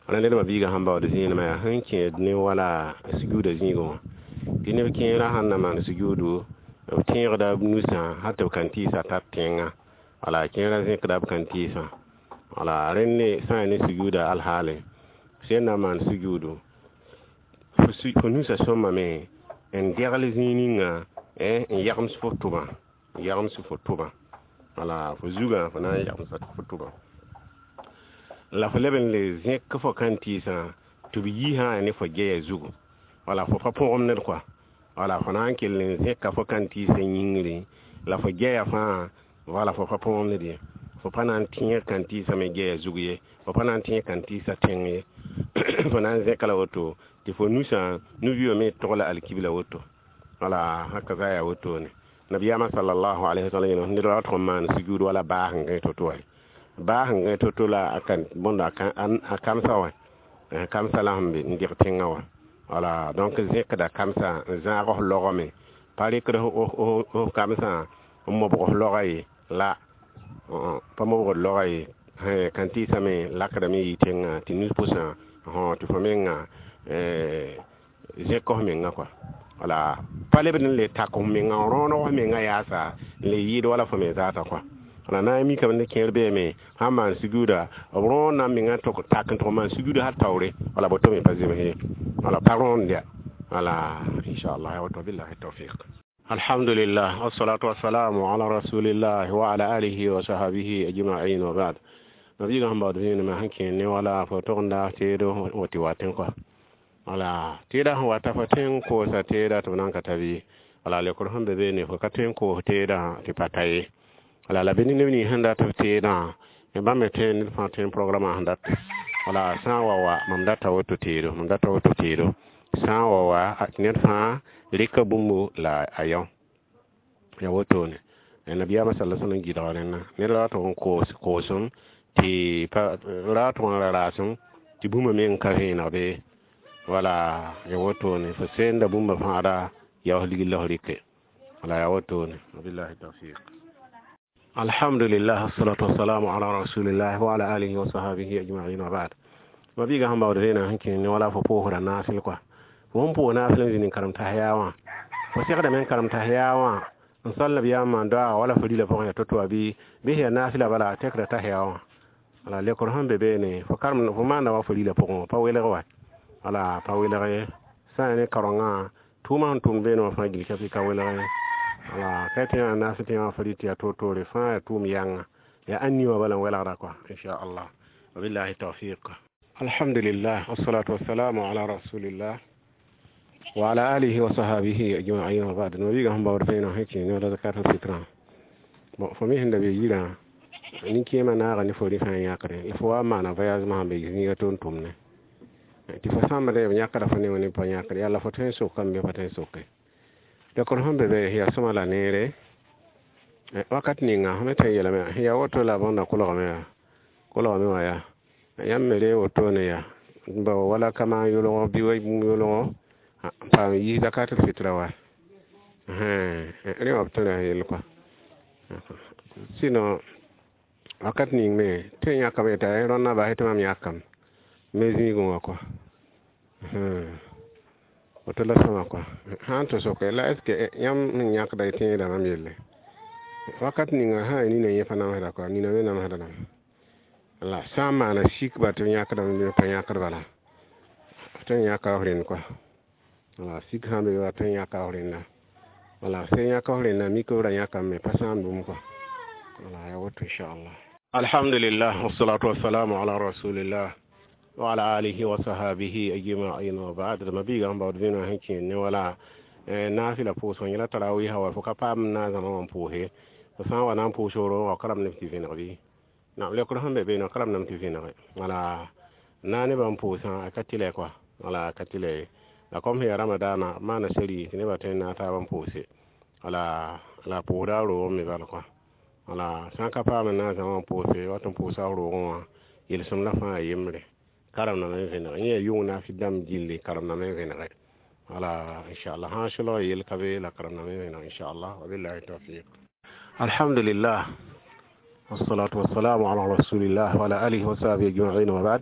Wala ned mabiiga sẽn baood zẽenemã yaa sẽn kẽed ne wala sujuuda zĩigẽ wã tɩ neb kẽerã sãn na maan sujuudu b tẽegda b nusã hal tɩ b kan tɩɩsã tar tẽngã wala kẽerã zẽkda b kan tɩɩsã wala rẽnd ne sã n yaa ne sujuuda alhaale sẽn na maan sujuudu fo nusã sõmame n degl zĩig ninga n yagms fo tʋbã n yagms fo tʋbã wala fo zugã fo na n yagmsa fo tʋbã la fo leb n le zẽk fo kan tɩɩsã tɩ b yi sã ne fo geya zugu wala fo pa põgem ned kɔa wala fo na n kell n zẽka fo kan tɩɩsã yĩngre la fo geya fãa wala fo pa põgem ned ye fo pa na n tẽeg kan tɩɩsã me geya zug ye fo pa na n tẽeg kan tɩɩsã tẽng ye fo na n zẽka la woto tɩ fo nusã nu-biã me togla alkibla woto wala haka za yaa wotone nabiyaamã sallallahu alaihi wasallam yẽlem ned wa tʋg n maan sujuud wala baa sẽn gãe to-to wa baa sẽn gãe to-to la a kan bõnda a kamsa wã kamsa la sẽn be n dɩg tẽngã wã wala donc zẽkda kamsa n zãag f logame Pa rɩkd f kamsã n mobg f laoga ye la pa mobgd laoga ye kan tɩɩsame lakdame yɩ tẽngã tɩ nus pʋsã tɩ fo menga zẽk f menga kɔa wala pa lebd n le tak f menga n rõoneg f menga yaasa n le yɩɩd wala fo me zaata kɔa wala na n mikame ne kẽer beeme sãn maan sujuuda b rõonna menga tak n tʋg maan sujuuda hal taoore wala boto me pa zems ye wala pa rõond ya wala inchallah ya woto billahi tawfiq. Alhamdulillah, wassalatu wassalamu ala rasulillah wa ala alihi wa sahbihi ajma'in wa ba'd. Nabiga sẽn baood vẽenemã sẽn kẽer ne wala fo togenda teedo tɩ wa tẽ kɔa wala teeda sẽn wata fo tõe n koosa teeda tɩ b nan ka ta bɩ wala lekr sẽn be beene fo ka tõe n koos teedã tɩ pa ta ye wala la bɩ ne neb nins sẽn dat b teedã bãmb me tõe ned fãa tõe n programa sẽn dat wala sã n wa wa mam data woto teedo mam data woto teedo sã n wa wa tɩ ned fãa rɩka bũmbu la a yão ya wotone nabiyaamã sala sallam gɩdga rẽnna ned ra tʋg n koos koosem tɩ ra tʋg n ra raasem tɩ bũmba meng ka vẽeneg be wala ya wotone fo senda bũmba fãada yaoos ligl la f rɩke wala ya wotone wabillahi tawfiq. Alhamdulillah, wassalatu wassalamu ala rasulillah wa ala alihi wa sahbihi ajma'in wa ba'd. Mabiga sẽn baood vẽeneg sẽn kẽ ne wala fo poosda naasel kɔa fo sẽn pʋʋs naasel n zĩnd n karem tas yaa wã fo segdame n karem tas yaa wã n sal nabiyaam maan doaaga wala fo rila pʋgẽ ya to-to wã bɩ bɩ sẽn yaa naasla bala tekda tas yaa wã wala lekr sẽn be beene fo karem fo maanda wa fo rila pʋgẽ wã pa welg wa wala pa welg ye sã n yaa ne kaorengã tʋʋmã sẽn tʋmd beene wã fãa gil ka ka welg ye wala ka tɩ yaa naas tɩ wã fo rɩ tɩ yaa toor-toore fãa yaa tʋʋm yãnga yaa ãn ni wã bala n welgda kɔa inchallah wabillahi tawfiq. Alhamdulillah, wassalatu wassalamu ala rasulillah wa ala alihi wa sahbihi ajma'in wa ba'd. Nabiga sẽn baood vẽeneg sẽn kẽ ne wala zakat al-fitra bon fo me sẽn da be yirã nin-kẽemã naaga ne fo rɩ fãa yãkre fo wa n maana voyage sẽn be zĩiga tʋm tʋmne tɩ fo sãmba b yãkda fo ne wã ne pa yãkre yalla fo tõe n sokame bɩ pa tõe n soke lekr sẽn be be yaa sõma la neere wakat ninga fo me tõe n yeelame sẽn yaa woto la bõnda kolgame yaa kolgame wã yaa yãmb me re wotone yaa bao wala kama yʋlgo bɩ wa bũmb yʋlgo n paam yis zakatul fitra wa rẽ wã b tõe ra yell kɔa sinon wakat ning me tõe n yãkame t'a rõnnã basɛ tɩ mam yãkame me zĩigẽ wã kɔa woto la sõma kɔa sã n tɩ soke la est ce que yãmb sẽn yãkda y tẽeda mam yelle wakat ninga sã n nina yẽ pa namsda kɔa nina me namsda lame la sã n maana sikba tɩ b yãkdame pa yãkd bala tõe n yãka f rẽnd kɔa wala sik sã n be wa tõe n yãka f rẽnda wala sẽn yãka f rẽnda mik b ra yãkame me pa sãam bũmb kɔa wala ya woto inchallah. Alhamdulillah, wassalatu wassalamu ala rasulillah wa ala alihi wa sahbihi ajma'in wa ba'd. Mabiga sẽn baood vẽeneg sẽn kẽer ne wala naasɩla pʋʋsg yẽla tarawiisã wa fo ka paam naazãmã wã n pʋʋse fo sã n wa na n pʋʋs woro wa ka rame tɩ vẽneg bɩ nam lekr sẽn be beene ka rame tɩ vẽnege wala na nebã n pʋʋsã a ka tɩlɛ kɔa wala a ka tɩlɛ ye la kom sẽn yaa ramadaana maana seri tɩ nebã tõe n naag taab n pʋʋse wala la pʋʋsda a roog me bal kɔa wala sã n ka paam n naazã wã n pʋʋse wat n pʋʋsa a roogẽ wã yelsem la fãa yembre karemdame n vẽnege yẽ yaa yʋng naafɩ dãmb gilli karemdame n vẽnege wala inchallah sã n solg yel ka be la karemdame n vẽneg inchallah wabillahi tawfiq. Alhamdulillah, wassalatu wassalamu ala rasulillah wa ala alihi wa sahbihi ajma'in wa ba'd.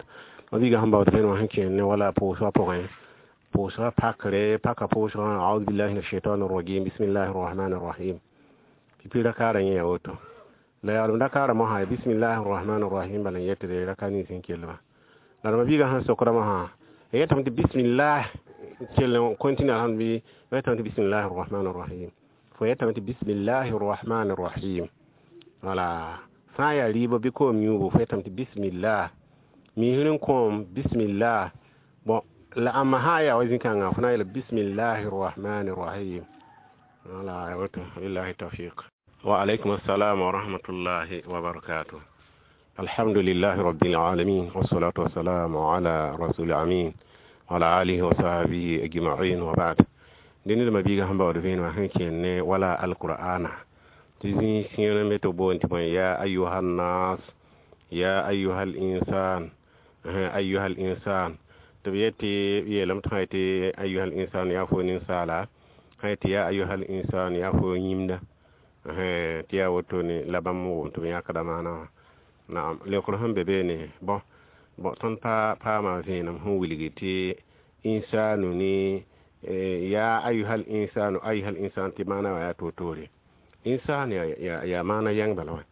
Mabiga sẽn baood vẽenem sẽn kẽer ne wala pʋʋsgã pʋgẽ pʋʋsgã pakre paka pʋʋsgã audhu billahi min ashaitani rajim bismillahi rrahmani rrahim tɩ pi rakaarã yẽ yaa woto la yaalem rakaarã mosã bismillahi rrahmani rrahim bala n yetde raka nins n kellmã la d mabiigã sẽn sokda mosã yetame tɩ bismillah kell n continue alhamd bɩ yetame tɩ bismillahi rrahmani rrahim fo yetame tɩ bismillahi rrahmani rrahim wala sã n yaa rɩɩbɔ bɩ koom yũubu fo yetame tɩ bismillah misr n kõom bismillah bon la ãmba sã n yaa wa zĩ-kãngã fo na n yeela bismillahi rrahmani rrahim wala ya woto billahi tawfiq. Wa alaykum assalam wa rahmatullahi wa barakatuh. Alhamdulillahi rabbil alamin wassalatu wassalamu ala rasul amin wa ala alihi wa sahbihi ajma'in wa ba'd. Dẽnd d mabiiga sẽn baood vẽenemã sẽn kẽer ne wala alqur'ana tɩ zĩig sẽer n be tɩ boond tɩ bõe ya ayuha nnas ya ayuha al insan ayuha al insan tɩ b yet tɩ b yeelame tɩ sã yetɩ ayuha al insan yaa fo ninsaala Sã yetɩ ya ayuhal insan, yaa fo yĩmda, tɩ yaa wotone la bãmb wʋm tɩ b yãkda maana wã. Naam, leokr sẽn be beene, bõ bõ tõnd pa paama vẽenem sẽn wilgi tɩ insanu ne ya ayuhal insanu, ayuhal insan, tɩ maana wã yaa toor-toore. Insan yaa maana yãng bala wã.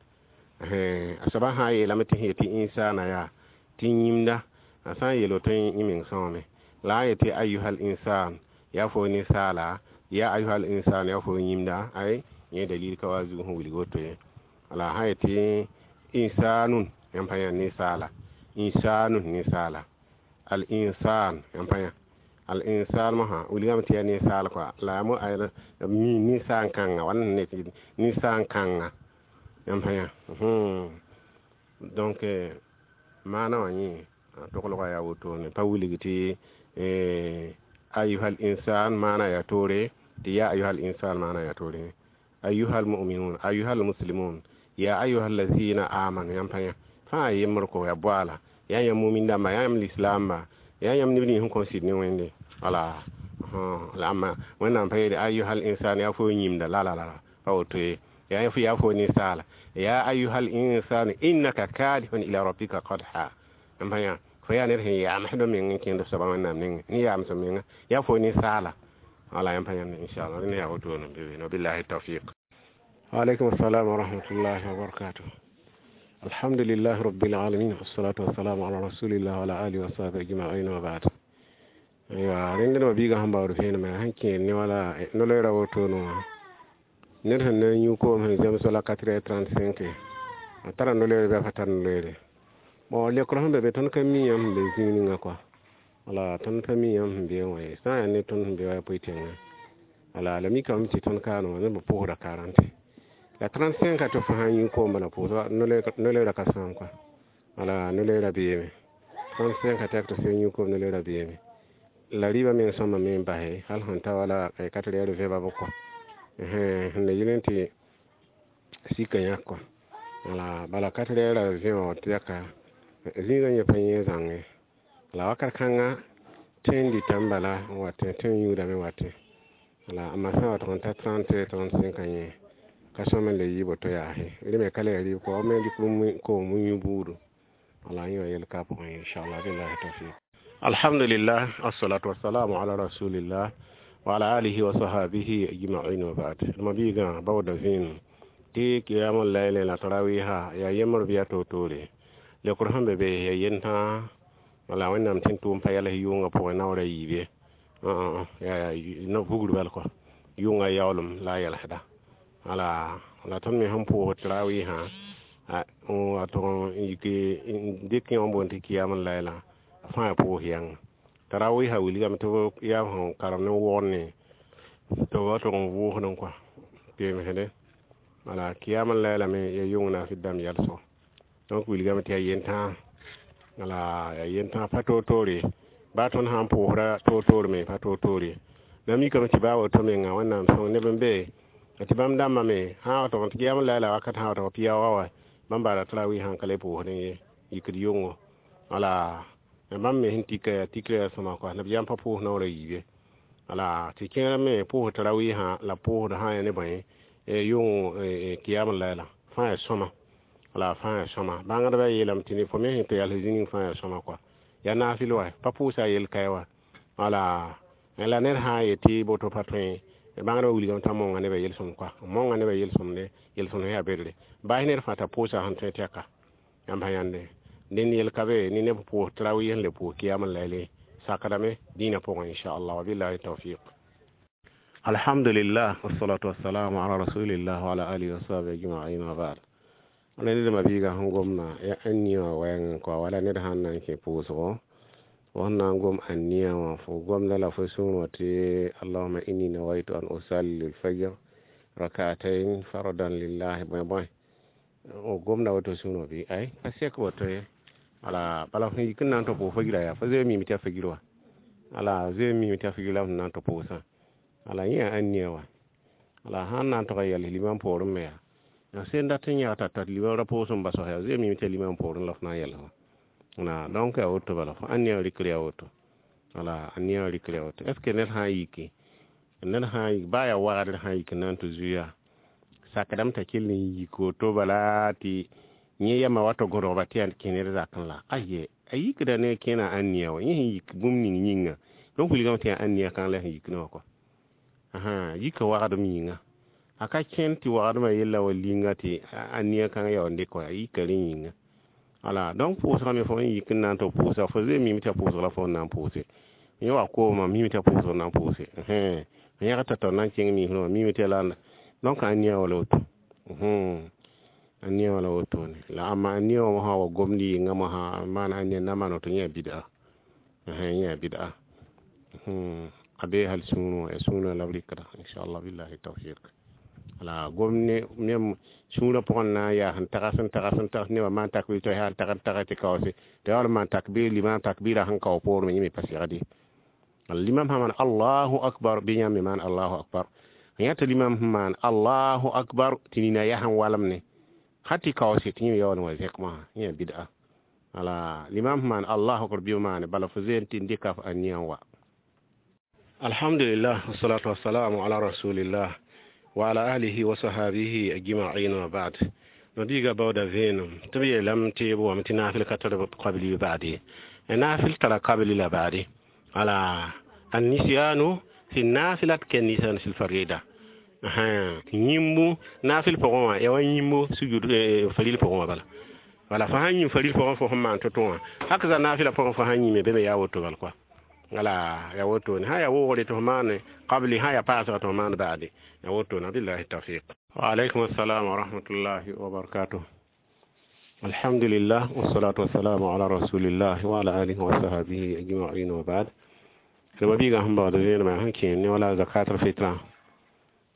A soabã sã n yeelame tɩ sẽn yetɩ insana yaa tɩ yĩmda, a sã n yeel woto yẽ meng sõame. La a yetɩ ayuhal insan, yaa fo ninsaala, ya ayuhal insan, yaa fo yĩmda, ay yẽ dalil ka wa zug sẽn wilg woto ye. La sã yetɩ insanun, yãmb pa yã ninsaala, insanun ninsaala, al insan, yãmb pa yã al insan mosã wilgame tɩ yaa ninsaal kɔa, la a mi ninsaan kãnga wala ne ninsaan kãnga, yãmb pa yã. Donc maana wã yẽ a toglga yaa wotone, pa wilg tɩ ayuhal insan maana yaa toore, tɩ ya ayuhal insan maana yaa toore. Ayuhal mu'minun, ayuhal muslimun, ya ayuhal lazina amanu, yãmb pa yã fãa yembr ko yaa boaala, yaa yãmb mumin dãmba, yaa yãmb lislaamba, yaa yãmb neb nins sẽn kõn sɩd ne Wẽnde. Wala la ãmba Wẽnnaam pa yeele ayuhal insan yaa fo yĩmda, la la la, pa woto ye, yaa fo ninsaala, ya ayuhal insanu innaka kadihun ila rabbika qadha, yãmb pa yã fo yaa ned sẽn yaamsd meng n kẽnd f soabã Wẽnnaam nengẽ, ne yaams menga, yaa fo ninsaala. Wala yãmb pa yãnd inchallah, rẽnd yaa wotone n be be. Wabillahi tawfiq. Waalaikum assalam wa rahmatullahi wa barakatuh. Alhamdulillah rabbil alamin, wassalatu wassalamu ala rasulillah wa ala alihi wa sahbihi ajma'in, wa ba'd. Ya rẽnd ma biigã sẽn baood vẽenemã sẽn kẽer ne wala no-loeera wotone wã, ned sẽn na n yũ koom sẽn zems wala 4h35, a tara no-loeere bɩ a pa tar no-loeere? Bon, leokr sẽn be be, tõnd ka mi yãmb sẽn be zĩig ninga kɔa, wala tõnd pa mi yãmb sẽn be wã ye. Sã n yaa ne tõnd sẽn be wa poe-tẽngã, wala la mikame tɩ tõnd kaane wã neb b pʋʋsda 40 la 35 tɩ fo sã n yũ koom bala pʋʋsga, no-loeera ka sãam kɔa, wala no-loeera beeme. 35 tɛk tɩ sẽn yũ koom, no-loeera beeme. La rɩɩbã meng sõma me n base hal sẽn ta wala 4 heures vẽba bʋ kɔa, sẽn na yɩl n tɩ sika yãk kɔa. Wala bala 4 heures vẽ wã tɩ yaka zĩigã yẽ pa yẽ zãnge. La wakat kãnga tẽ n dɩtame bala n wa tẽ n yũudame wa tẽ. Wala amma sã n wa tʋg n ta 30 35 yẽ ka sõm n le yɩ boto yaase, rẽ me ka le ya rɩɩb kɔ, b me dɩk koom n yũ buudu. Wala yẽ wã yel ka pʋgẽ inchallah. Billahi tawfiq. Alhamdulillah, assalatu wassalamu ala rasulillah wa ala alihi wa sahabihi ajma'in, wa ba'd. Ma biigã baooda vẽenem tɩ kiyamã layle la tarawiha yaa yembr bɩ yaa toor-toore? Leokr sẽn be be yaa yentãa. Wala Wẽnnaam tɩ n tʋʋm pa yals yʋngã pʋgẽ naoor a yiibe, yaa vugr bal kɔ, yʋngã yaoolem la a yɛlsda. Wala la tõnd me sẽn pʋʋsd tarawisã wa tʋg n yik n dɩk yẽ wã boond tɩ kiyam n layla fãa pʋʋs yãnga. Tarawisã wilgame tɩ b yaa sẽn karem ne wʋgd ne tɩ b wa tʋg n vʋʋsdẽ kɔa pemsdẽ. Wala kiyam n layla me yaa yʋng naafɩ dãmb yɛlsgo. Donc wilgame tɩ yaa yentãa, wala yaa yentãa, pa toor-toore. Baa tõnd sã n pʋʋsda toor-toor me pa toor-toore. La mikame tɩ baa woto menga Wẽnnaam sõng neb n be tɩ bãmb dãmbã me sã wa tʋg n tɩ kiyam n layla wakat sã wa tʋg pia wa wa bãmb baara tarawi sã n ka le pʋʋsdẽ ye, yikd yʋngo. Wala bãmb me sẽn tika yaa tikrã yaa sõma kɔa, nabiyaam pa pʋʋs naoor a yiibe. Wala tɩ kẽer me pʋʋs tarawisã la pʋʋsd sã n yaa ne bõe yʋng kiyam n layla fãa yaa sõma, wala fãa yaa sõma. Bãngdbã yeelame tɩ fo me sẽn tɩ yals zĩig fãa yaa sõma kɔa, yaa naafɩl wa pa pʋʋsa yel kae wa. Wala la ned sã n yetɩ boto pa tõe, bãngdbã wilgame t'a monga nebã yel-sõm kɔa, monga nebã yel-sõmde, yel-sõmd yaa bedre baas ned fãa t'a pʋʋsa sẽn tõe tɛka. Yãmb pa yãnde dẽnd yel ka be ne neb pʋʋs tarawih n le pʋʋs kiyam n layle sakdame dĩinã pʋgẽ inchallah. Wabillahi tawfiq. Alhamdulillah, wassalatu wassalamu ala rasulillah wa ala alihi wa sahbihi ajma'in, wa ba'd. Wala ned ma biigã sẽn gomna ya ania wã wɛɛngẽ kɔa, wala ned sãn na n kẽ pʋʋsgo, fo sẽn na n gom ania wã, fo gomda la fo sũur wã tɩ allahuma inni nawaitu an usalli lfajr rak'atain fardan lillahi bõe bõe, o gomda woto sũur wã bɩ ay pa sek woto ye. Wala bala fo yik n na n tɩ pʋʋs fagira yaa fo zoe mime tɩ yaa fagir wa, wala zoe mime tɩ yaa fagir la f na n tɩ pʋʋsã. Wala yẽ yaa ania wã. Wala sãn na n tʋg n yɛls limam poorẽ me yaa sẽn dat n yãag t'a limam ra pʋʋs n bas yaa zoe mime tɩ yaa limam poorẽ la f na n yɛls wã. Donc yaa woto bala fo ania rɩkr yaa woto, wala ania rɩkr yaa woto. Est ce que ned sã n yiki Ned sã n yik baa yaa wagdr sã n yik n na n tɩ zuya sakdame t'a kell n yik woto bala tɩ yẽ yama wa tɩ gõdgba tɩ yaa kẽ ned zakẽ la aye a yikda ne kẽna ãnniya wã yẽ sẽn yik bũmb ning yĩnga donc wilgame tɩ yaa ãnniya kãng la sẽn yik ne wã kɔa yika wagdem yĩnga a ka kẽnd tɩ wagdmã yella wa linga tɩ ãnniya kãng ya n dɩk wã a yika rẽ yĩnga. Wala donc pʋʋsgã me fo n yik n na n tɩ pʋʋsa fo zoe mime tɩ yaa pʋʋsg la fo n na n pʋʋse yẽ wa koomã mime tɩ yaa pʋʋsg n na n pʋʋse yẽgd t'a tao na n kẽng miisrẽ wã mime tɩ yaa la donc ãnniya wala woto ãnniya wala wotone la ãmba ãnniya wã mosã wa gomd yɩnga mosã n maan ãnniya na maan woto yẽ yaa bid'a yẽ yaa bid'a a bee hal sũurẽ wã yaa sũurã la b rɩkda inchallah billahi tawfiq. La gom ne nem sũurã pʋgẽ na n yaa sẽn tags n tags n tags nebã maan takbir tɩ yaa n tag n tag tɩ kaoose tɩ yaa wall n maan takbir limam takbira sẽn kao poorẽ yẽ me pa segd ye. Limam sã maan allahu akbar bɩ yãmb me maan allahu akbar yã tɩ limam sẽn maan allahu akbar tɩ nina yaa sẽn walem ne hal tɩ kaoose tɩ yẽ yaool n wa zẽk mosã yẽ yaa bid'a. Wala limam sẽn maan allahu akbar bɩ maane bala fo zoe tɩ n dɩka f ãnniya n wa. Alhamdulillah wassalatu wassalamu ala rasulillah wa ala alihi wa sahabihi ajma'in wa ba'd. Nabiga bawda veenem tɩ b yeelame tɩ b wame tɩ naafɩl ka tar qabli ba'di naafɩl tara qabli la ba'di ala annisyanu fi nafilat ke nisan fil farida yĩmbu naafɩl pʋgẽ wã ya wa yĩmbu sujud faril pʋgẽ wã bala wala fo sãn yĩm faril pʋgẽ fo sẽn maan to-to wã hak za naafɩla pʋgẽ fo sãn yĩme be me yaa woto bal kɔa wala ya wotone sã yaa woogre tɩ fo maane qabli sã yaa paasga tɩ fo maan baade ya wotone billahi tawfiq. Wa alaykum assalam wa rahmatullahi wa barakatuh. Alhamdulillah wassalatu wassalamu ala rasulillah wa ala alihi wa sahbihi ajma'in wa ba'd. Rãmba biigã sẽn baood vẽenemã sẽn kẽer ne wala zakatul fitra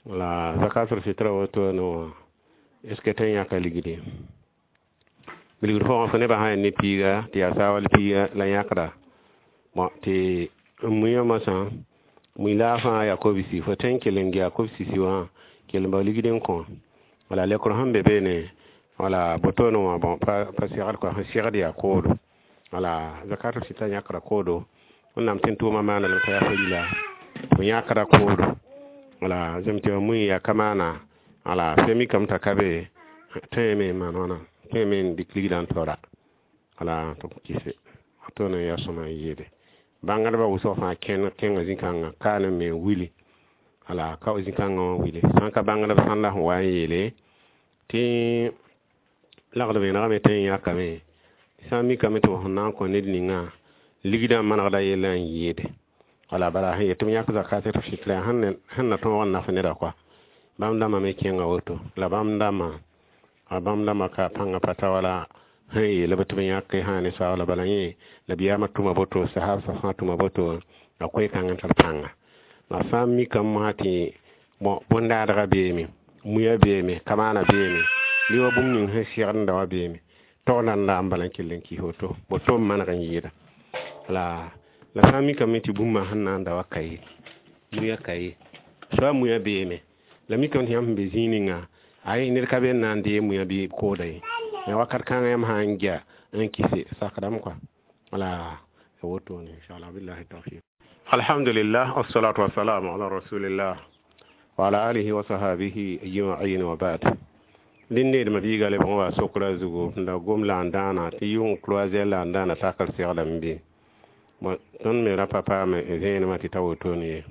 wala zakatul fitra woto no est ce que tõe n yãka ligdi bilgd pʋgẽ fo nebã sã yaa ne piiga tɩ yaa saawal piiga la yãkda bon tɩ mui mosã mui la fãa yaa kobsi fo tõe n kell n gea kobsisi wã kell n bao ligd n kõ wala lekr sẽn be beene wala botoone wã bon pa segd kɔa sẽn segd yaa koodo wala zakatul fitra yãkra koodo wẽnnaam tẽn tʋʋmã maana lame t'a yaa farila fo yãkra koodo wala zem tɩ mui yaa ka maana wala fo mikame t'a ka be tõeme n maan wãna tõeme n dɩk ligdã n taoora wala tɩ b kɩse tõone n yaa sõma n yeede bãngdbã wʋsg fãa kẽnga zĩ-kãngã kaane me n wili wala ka zĩ-kãngã wã wili sã n ka bãngdb sãn la sẽn wa n yeele tɩ lagd vẽenegame tõe n yãkame sã n mikame tɩ f sẽn na n kõ ned ningã ligdã manegda yella n yɩɩde wala bala sẽn yet tɩ b yãk zakatul fitra sẽn na tõog n naf neda kɔa bãmb dãmbã me kẽnga woto la bãmb dãmbã ka pãngã pa ta wala sẽn yeel b tɩ b yãk sã ne saoola bala yẽ nabiyaamã tʋma boto sahabsã fãa tʋma boto a koe-kãng n tar pãnga la sã n mikame mosã tɩ bon bõn-daadgã beeme muya beeme kamaana beeme bɩ wa bũmb ning sẽn segdda wã beeme tog la n la n bala n kell n kis woto boto n maneg n yɩɩda la la sã n mikame tɩ bũmba sẽn na n da wa ka ye muya ka ye soa muya beeme la mikame tɩ yãmb sẽn be zĩig ninga ay ned ka be n na n dee muya bɩ kooda ye ya wakat kãngã yãmb sã n gea n kɩse sakdame kɔa wala wotone inchallah billahi tawfiq. Alhamdulillah wassalatu wassalamu ala rasulillah wa ala alihi wa sahabihi ajma'in wa ba'd. Dĩn needmã biiga lebg n wa sokra zugu la gom la n dãana tɩ yʋng croisière la n dãana takr segdame bɩ bon tõnd me ra pa paame vẽenemã tɩ ta wotone ye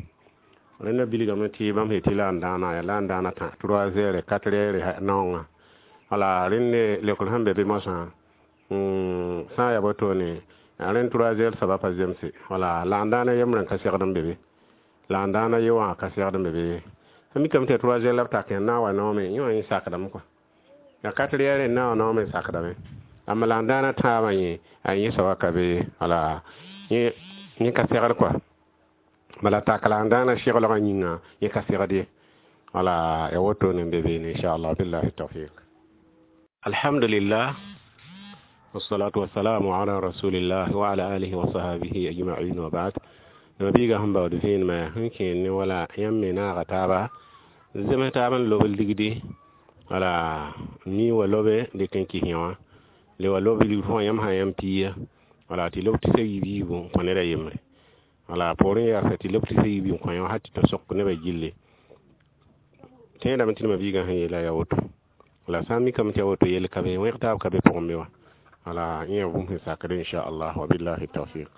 rẽnda bilgame tɩ bãmb sẽn tɩ la n dãana yaa la n dãana tã 3 heures 4 heures naoongã wala rẽnd lekr sẽn be bɩ mosã sã n yaa wotone rẽnd 3 heures soaba pa zemse wala la n dãana yembrã n ka segd n be be la n dãana ye wã ka segd n be be sẽn mikame tɩ 3 heures la b tak n na n wa noome yẽ wã yẽ sakdame kɔa ya 4 heures n na n wa noome sakdame amma la n dãana tãabã yẽ a yẽ soaba ka be wala yẽ ka segd kɔa bala tak la n dãana seglgã yĩnga yẽ ka segd ye wala ya wotone n be beene inchallah billahi tawfiq. Alhamdulillah wassalatu wassalamu ala rasulillah wa ala alihi wa sahbihi ajma'in wa ba'd. Nabiga sẽn baood vẽenemã sẽn kẽer ne wala yãmb me naaga taaba zems taab n lob ligdi wala mi wa lobe dɩk n kɩs yẽ wã le wa lob ligd fõa yãmb sã yãmb piiga wala tɩ lob tɩ sa yiib yiibu n kõ ned a yembre Wala poorẽ yaa tɩ leb tɩ yiib n kõ yã hal tɩ ta sok nebã gilli. Tẽedame tɩ nema biigã sẽn yeela yaa woto. La sã n mikame tɩ yaa woto yell ka be, wẽg taab ka be pʋgẽ be wã. Wala yẽ bũmb sẽn sakd inchallah, wa billahi tawfiq.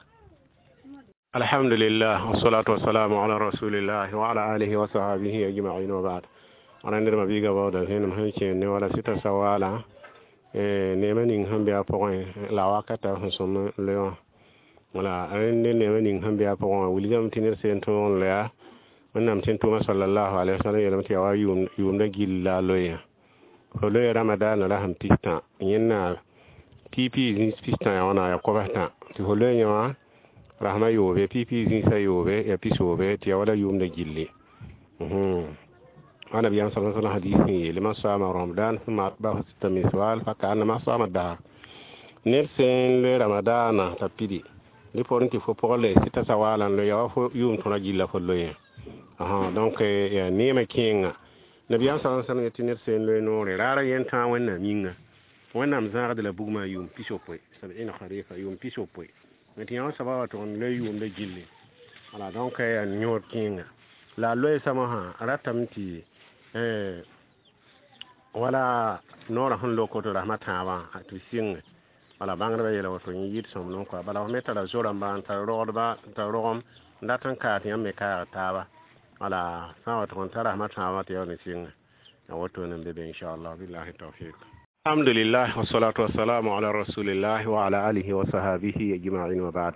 Alhamdulillah, wassalatu wassalamu ala rasulillah wa ala alihi wa sahbihi ajma'in wa ba'd. Ala ned mabiiga baooda zẽnem sẽn kẽer ne wala sɩta sawala neema ning sẽn be a pʋgẽ la wakata sẽn sõm loe wã. Wala rẽnd neema ning sẽn be a pʋgẽ wã wilgame tɩ ned seen tõog n loya. Wẽnnaam tẽn tʋʋma sallallahu alaihi wasallam yeelame tɩ yaa wa yʋʋmda gill la a loeya. Fo loe ramadaana la sẽn pistã yẽnna pipi zĩis pistã yaa wãna yaa kobs-tã tɩ fo loe yẽ wã rasma yoobe pipi zĩisã yoobe yaa pisoobe tɩ yaa wala yʋʋmda gilli. Annabiyaam sallallahu alaihi wasallam hadis sẽn yeele man saama ramadan thumma atba'ahu sitta min shawwal fa ka'annama sama dahr. Ned sẽn loe ramadaana t'a pidi dɩ poorẽ tɩ fo pʋgã le sɩta sawala n loe yaa wa fo yʋʋm tõra gilla fo loe. Donc yaa neemã kẽenga. Nabiyaam sallallahu alaihi wasallam yetɩ ned sẽn loe noore raara yẽn tãag Wẽnnaam yĩnga. Wẽnnaam zãagd la bugmã yʋʋm pisopoe sab'ina kharifa yʋʋm pisopoe. Tɩ yã wã soaba wa tʋg n loe yʋʋmda gilli. Wala donc yaa yõod kẽenga. La a loe samã sã ratame tɩ wala noorã sẽn lok woto rasmã tãabã tɩ b sɩnge. Wala bãngdbã yeela woto yẽ yɩɩd sõmblem kɔa. Bala f me tara zo-rãmba n tar rogdba n tar rogem n dat n kaag tɩ yãmb me kaag taaba. Wala sã n wa tʋg n tar rasmã tãabã tɩ yaool n sɩnge. Ya woto n be be inchallah, billahi tawfiq. Alhamdulillah, wassalatu wassalamu ala rasulillah wa ala alihi wa sahbihi ajma'in wa ba'd.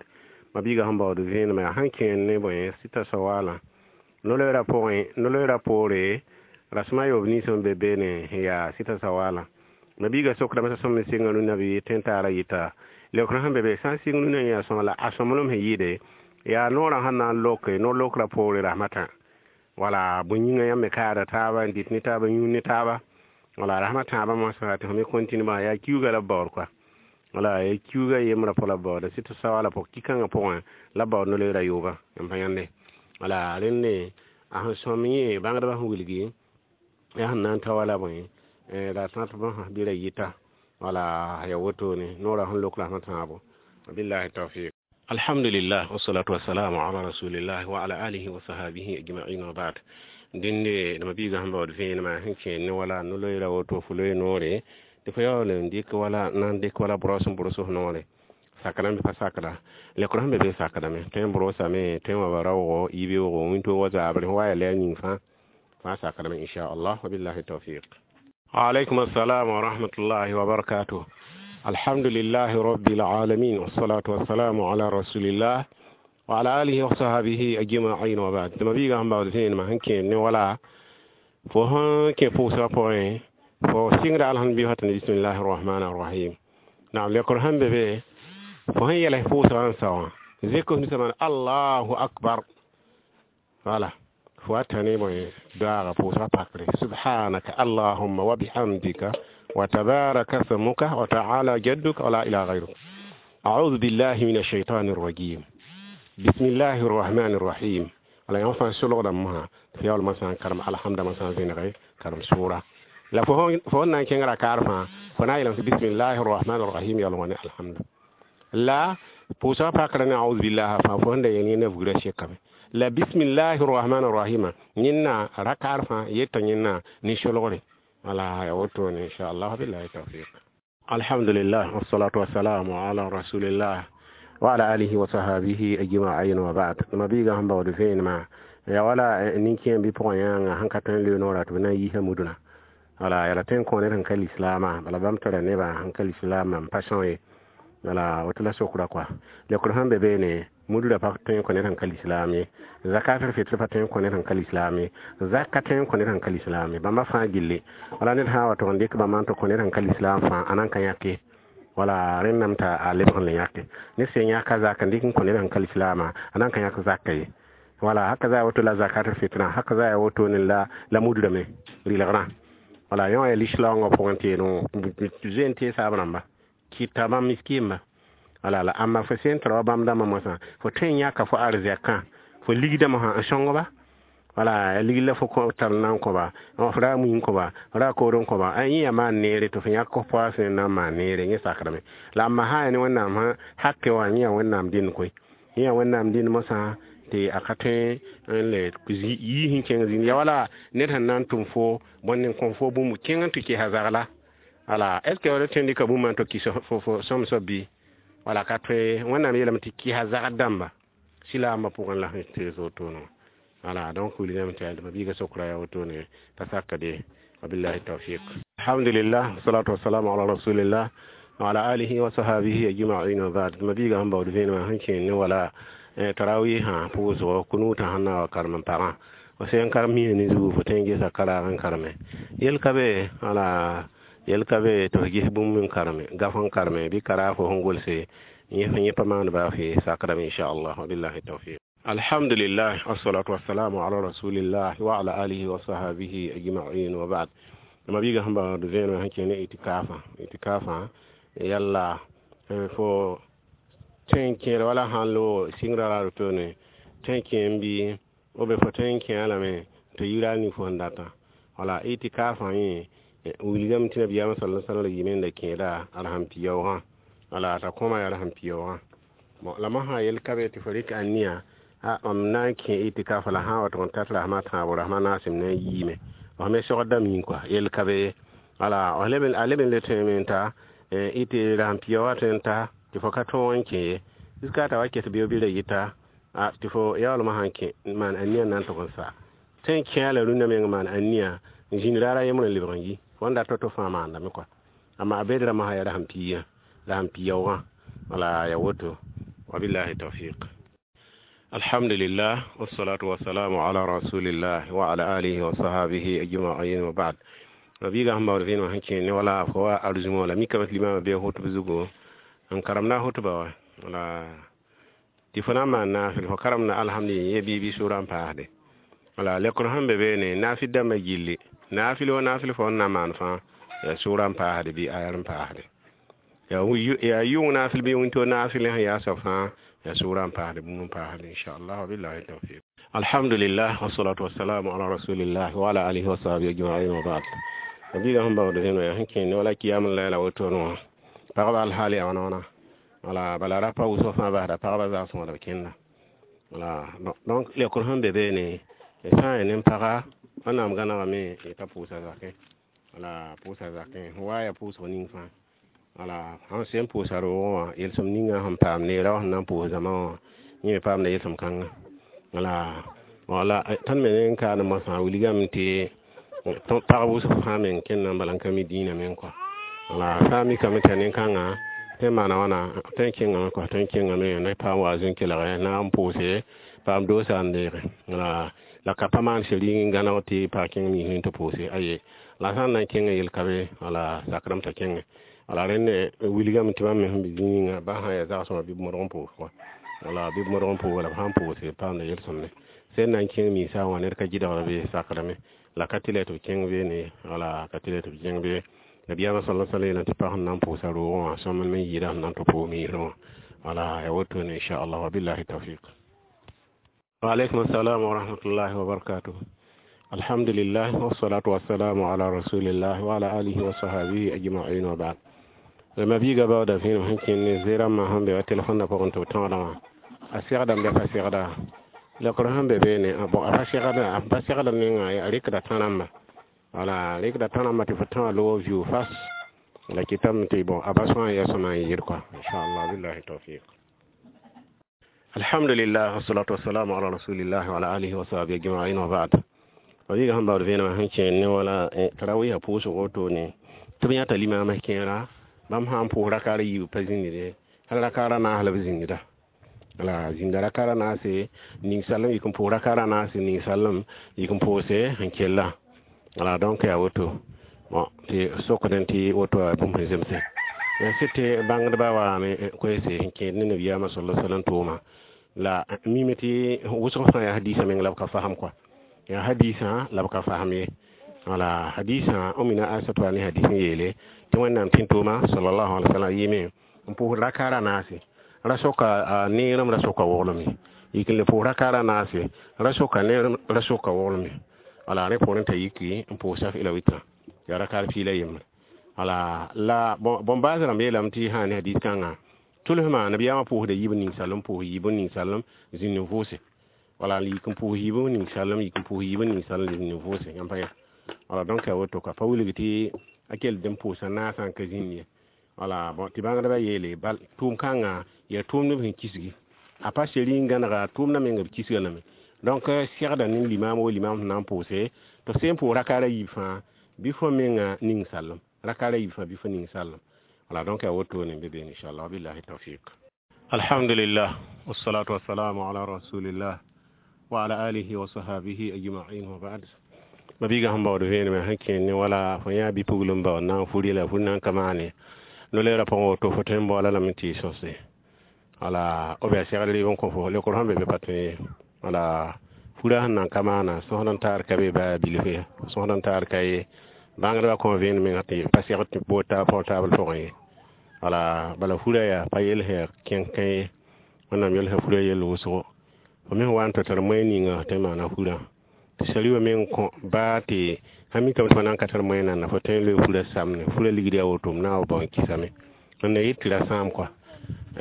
Mabiiga sẽn baood vẽenemã yaa sẽn kẽer ne bõe sɩta sawala no-loeera pʋgẽ no-loeera poore rasmã yoob nins sẽn be beene yaa sɩta sawala. Mabiiga sokdame t'a sõm n sɩnga rũnna bɩ tẽn-taara yɩta leokrã sẽn be be sã n sɩng rũnã yaa sõma la a sõmblem sẽn yɩɩde yaa noorã sẽn na n loke no-lokrã poore rasmã tã. Wala bõe yĩnga yãmb me kaada taaba n dɩt ne taaba n yũud ne taaba. Wala rasmã tãabã moasã tɩ fo me continue bã yaa kiuga la b baood koa. Wala yaa kiuga yembrã pʋg la b baooda sɩta sawala pʋg ki-kãngã pʋgẽ la b baood no-loeera yoobã yãmb pa yãnde. Wala rẽnde a sẽn sõm yẽ bãngdbã sẽn wilgi yaa sẽn na n ta wala bõe la tãtbã bɩ ra yɩta. Wala yaa wotone noorã sẽn lok rasmã tãabo. Billahi tawfiq. Alhamdulillah, wassalatu wassalamu ala rasulillah wa ala alihi wa sahbihi ajma'in wa ba'd. Dẽnde nema biigã sẽn baood vẽenemã sẽn kẽer ne wala no-loeera woto fo loe noore tɩ fo yaool n dɩk wala na n dɩk wala bros n brʋs f noore. Sakdame pa sakda lekr sẽn be be sakdame tõe n brosame tõe n wa ba raoogo yibeoogo wĩntoog wa zaabre wa yaa lɛɛr yĩng fãa fãa sakdame inchallah, wa billahi tawfiq. Alaikum assalam wa rahmatullahi wa barakatuh. Alhamdulillahi rabbil alamin, wassalatu wassalamu ala rasulillah wa ala alihi wa sahbihi ajma'in wa ba'd. Tɩ mabiigã sẽn baood vẽenemã sẽn kẽer ne wala fo sẽn kẽ pʋʋsgã pʋgẽ fo sɩngda alhamdulillah tɩ bismillahi rrahmani rrahim. Naam lekr sẽn be be fo sẽn yɛls pʋʋsgã n sao wã zek f ninsã maan allahu akbar. Wala fo wa tã ne bõe doaaga pʋʋsgã pakre subhanaka allahumma wa bihamdika wa tabaraka smuka wa ta'ala jadduka wa la ilaha ghayruk. A'udhu billahi minash shaitani rrajim. Bismillahi rrahmani rrahim. Wala yã fãa solgdame mosã tɩ yaool masã n karem alhamda masã n vẽnege karem sʋʋra. La fo sẽn na n kẽng rakaar fãa fo na n yeelame tɩ bismillahi rrahmani rrahim yaool wã ne alhamda. La pʋʋsgã pakrã ne a'udhu billahi fãa fo sẽn da yeel yẽnda vugrã sekame. La bismillahi rrahmani rrahima yẽnna rakaar fãa yeta yẽnna ne solgre. Wala ya wotone inchallah, billahi tawfiq. Alhamdulillah, wassalatu wassalamu ala rasulillah wa ala alihi wa sahbihi ajma'in wa ba'd. Mabiiga sẽn baood vẽenemã yaa wala nin-kẽem bɩ pʋgẽ yãnga sẽn ka tõe n loe noorã tɩ b na n yiisa mudunã. Wala yaa la tõe n kõ ned sẽn ka lislaamã bala bãmb tara nebã sẽn ka lislaamã n pa sõo ye. Wala woto la sokra koa. Lekr sẽn be beene mudrã pa tõe n kõ ned sẽn ka lislaam ye. Zakatul fitr pa tõe n kõ ned sẽn ka lislaam ye. Zak ka tõe n kõ ned sẽn ka lislaam ye. Bãmba fãa gilli. Wala ned sã n wa tʋg n dɩk bãmba n tɩ kõ ned sẽn ka lislaam fãa a nan ka yãk ye. Wala rẽndame t'a a lebg n le yãke. Ned sẽn yãka zak n dɩk n kõ ned sẽn ka lislaamã a nan ka yãk zaka ye. Wala haka za woto la zakatul fitra haka za woto ne la mudra me rilgrã. Wala yõ yaa lislaoongã pʋgẽ tɩ yeelẽ zoe n tee saab rãmba kɩta bãmb miskiimba. Wala la ãmba fo sẽn tara wa bãmb dãmbã moasã fo tõe n yãka fo arzɛkã fo ligdame sã n sõng ba. Wala ya ligl la fo tar n na n kõ-ba f ra mui n kõ-ba ra kood n kõ-ba yẽ yaa maan neere tɩ fo yãk f poa sẽn na n maan neere yẽ sakdame. La ãmba sã n yaa ne Wẽnnaam sã hake wã yẽ yaa Wẽnnaam dẽnd koe. Yẽ Wẽnnaam dĩnd mosã tɩ a ka tõe n le yiis n kẽng zĩnd ya wala ned sẽn na n tʋm fo bõn n kõ fo bũmb kẽng n tɩ kesa zagla. Wala est ce que d tõe n dɩka bũmba n tɩ kɩs fo sõm soab bɩ? Wala ka tõe. Wẽnnaam yeelame tɩ kɩsa zagd dãmba silaambã pʋgẽ la sẽn tees wotone wã. Wala donc wilgame tɩ yaa mabiiga sokra yaa wotone t'a sakde. Wabillahi tawfiq. Alhamdulillah, salatu wassalamu ala rasulillah wa ala alihi wa sahabihi ajma'in wa ba'd. Mabiiga sẽn baood vẽenemã sẽn kẽen ne wala tarawihã pʋʋsgo kunuutã sẽn na wa karem n pagã fo sẽn karem misã ne zugu fo tõe n gesa karaag n kareme yel ka be. Wala yel ka be tɩ fo ges bũmb n kareme gaf n kareme bɩ karaag fo sẽn golse yẽ pa maand baa fɩ sakrame inchallah. Wabillahi tawfiq. Alhamdulillah, wassalatu wassalamu ala rasulillah wa ala alihi wa sahabihi ajma'in wa ba'd. Mabiiga sẽn baood vẽenemã sẽn kẽ ne itikafã, itikafã yalla fo tõe n kẽer wala sãn loog sɩngrã ra wotone tõe n kẽ n bɩ b fo tõe n kẽa lame tɩ yira a ning fo sẽn datã. Wala itikafã yẽ wilgame tɩ nabiyaamã sala sallam yɩme n da kẽeda a rasem-piyaoogã. Wala t'a kõma yaa rasem-piyaoogã. Bon, la mosã yel ka be tɩ fo rɩk aniya a mam na n kẽ itikafa la sã n wa tʋg n tar rasma tãabo rasma naasem na n yiime f me sogdame yĩng kɔa yel ka be ye. Wala a leb n le tõeme n ta ɩtɩ rasem-piyaoogã tõe n ta tɩ fo ka tõog n kẽ ye jusqu'à t'a wa ket bɩ bɩ ra yɩta tɩ fo yaoolmã sãn kẽ n maan aniya n na n tʋg n sa tõe n kẽa la rũndã meng maan aniya n zĩnd raara yembr n lebg n yi fo n dat to fãa maandame kɔa. Amma a bedra mosã yaa rasem piigã rasem piyaoogã. Wala ya woto. Wabillahi tawfiq. Alhamdulillah, wassalatu wassalamu ala rasulillah wa ala alihi wa sahabihi ajma'in wa ba'd. Mabiiga sẽn baood vẽenemã sẽn kẽ ne wala fo wa arzũmõ la mikame tɩ limamã bee hotb zugu n karemda hotba wa. Wala tɩ fo na n maan naafɩl fo karemda alhamdulillah ye bɩ bɩ sʋʋrã n paasde. Wala lekr sẽn be beene naafɩl dãmbã gilli naafɩl wa naafɩl fo n na maan fãa yaa sʋʋrã n paasde bɩ ayar n paasde yaa yʋng naafɩl bɩ wĩnto naafɩl sẽn yaa soab fãa yaa sʋʋrã n paasde bũmb n paasde inchallah. Wabillahi tawfiq. Alhamdulillah, wassalatu wassalamu ala rasulillah wa ala alihi wa sahbihi ajma'in wa ba'd. Mabiiga sẽn baood vẽenemã yaa sẽn kẽ ne wala kiyam n la wotone wã pagba alhaal yaa wãna wãna. Wala bala ra pa wʋsg fãa basda pagba zagsẽ wala b kẽnda. Wala donc lekr sẽn be beene sã n yaa nin-paga Wẽnnaam gãnegame yetã pʋʋsa zakẽ. Wala pʋʋsa zakẽ fo wa yaa pʋʋsg ning fãa. Wala sãn sẽn pʋʋsa roogẽ wã yelsem ninga sẽn paam neera wã sẽn na n pʋʋs zãma wã yẽ me paamda yelsem kãnga. Wala tõnd me ne n kaane mosã wilgame tɩ pagb wʋsg fãa meng kẽnda n bala n ka mi dĩinã meng kɔa. Wala sã n mikame tɩ yaa nin-kãngã tõe n maana wãna tõe n kẽngame kɔa tõe n kẽngame ne paam wa zĩn kelge na n pʋʋse paam doosa n deege. Wala la ka pa maan seri n gãneg tɩ pag kẽng misẽ tɩ pʋʋse aye la sã n na n kẽngã yel ka be. Wala sakrame t'a kẽnge. Wala rẽnd wilgame tɩ bãmb me sẽn be zĩig yĩnga ba sã n yaa zagsẽma bɩ b modg n pʋʋs kɔa. Wala bɩ b modg n pʋʋg la b sã n pʋʋse paamda yel-sõmne sẽn na n kẽng minsã wã ned ka gɩdgr be sakrame la ka tɩ la tɩ b kẽng beene. Wala ka tɩ la tɩ b kẽng be. Nabiyaamã sala sala yeelame tɩ pag sẽn na n pʋʋsa roogẽ wã sõmb me n yɩɩda sẽn na n tɩ pʋʋs miisrẽ wã. Wala ya wotone inchallah. Wabillahi tawfiq. Waaleykum assalam wa rahmatullahi wa barakatuh. Alhamdulillah, wassalatu wassalamu ala rasulillah wa ala alihi wa sahabihi ajma'in wa ba'd. Mabiiga baooda vẽenem sẽn kẽnd ne zerãmbã sẽn be wa telefõnã pʋgẽ tɩ b tõodã wã a segdame bɩ a pa segda lekr sẽn be beene. Bon, a pa segda a pa segda ninga a rɩkda tã-rãmba. Wala rɩkda tã-rãmba tɩ fo tã wã loog viu fas la kɩtame tɩ bon a ba sõa n yaa sõma n yɩɩd kɔa inchallah. Billahi tawfiq. Alhamdulillah, wassalatu wassalamu ala rasulillah wa ala alihi wa sahbihi ajma'in wa ba'd. Mabiiga sẽn baood vẽenemã sẽn kẽen ne wala tarawiisã pʋʋsg wotone tɩ b yãta limaamã kẽera bãmb sã n pʋʋs rakaar yiib pa zĩndde hal rakaar a naas la b zĩndda. Wala zĩnda rakaar a naase ninsaalem yik n pʋʋs rakaar a naase ninsaalem yik n pʋʋse n kella. Wala donc yaa woto. Bon, tɩ sokdẽ tɩ woto a bũmb sẽn zemse sɩd tɩ bãngdbã waame koeese n kẽed ne nabiyaamã sala salam tʋʋma la mime tɩ wʋsg fãa yaa hadiisã meng la b ka fasem kɔa yaa hadiisã la b ka fasem ye. Wala hadiisã omina Aisat wa ne hadis n yeele tɩ Wẽnnaam tẽn-tʋʋma sallallahu alaihi wasallam yɩɩme n pʋʋs rakaar a naase ra soka neerem ra soka wogleme yik n le pʋʋs rakaar a naase ra soka neerem ra soka wogleme. Wala rẽ poorẽ t'a yiki n pʋʋs saf ila witra yaa rakaar piila yembre. Wala la bõn-baas rãmb yeelame tɩ sã ne hadis kãngã Tʋlsmã nabiyaamã pʋʋsda yiib n ning salem pʋʋs yiib n ning salem zĩnd n vʋʋse. Wala yik n pʋʋs yiib n ning salem, yik n pʋʋs yiib n ning salem, zĩnd n vʋʋse. Yãmb pa yã. Wala donc a woto ka pa wilg tɩ a kell d n pʋʋsa naasã n ka zĩnd ye. Wala bon tɩ bãngdbã yeele bal tʋʋm kãngã yaa tʋʋmd b sẽn kisgi. A pa seri n gãnega tʋʋmdã menga b kisga lame. Donc segda ne limam wo limam sẽn na n pʋʋse tɩ sẽn pʋʋs rakaara yiib fãa bɩ fo menga ning salem. Rakaara yiib fãa bɩ fo ning salem. Wala donc a woto ne be beene inshallah, billahi tawfiq. Alhamdulillah, wassalatu wassalamu ala rasulillah wa ala alihi wa sahbihi ajma'in wa ba'd. Mabiga sẽn baood vẽenemã sẽn kẽer ne wala fo yã bi-pugl n baood na n furi la fur na n ka maane no-leerã pʋgẽ woto fo tõe n baoola lame tɩ y sõse. Wala b yaa segd rɩɩb n kõ fo lekr sẽn be be pa tõe ye. Wala furã sẽn na n ka maana sõsd n taar ka be baa bilf ye, sõsd n taar ka ye. Bãngdbã kõ vẽenem menga tɩ pa segd tɩ portable pʋgẽ ye. Wala bala furã yaa pa yel sẽn yaa kẽnkẽ ye. Wẽnnaam yel sã furã yell wʋsgo. Fo me sẽn wa n tɩ tar moɛɛg ninga tɩ maana furã. Tɩ sari wã meng kõ baa tɩ sã mikame tɩ fo na n ka tar moɛɛg nanda fo tõe n loe furã samne. Furã ligd yaa woto m na n wa bao n kisame. Wẽnna yet tɩ ra sãam kɔa.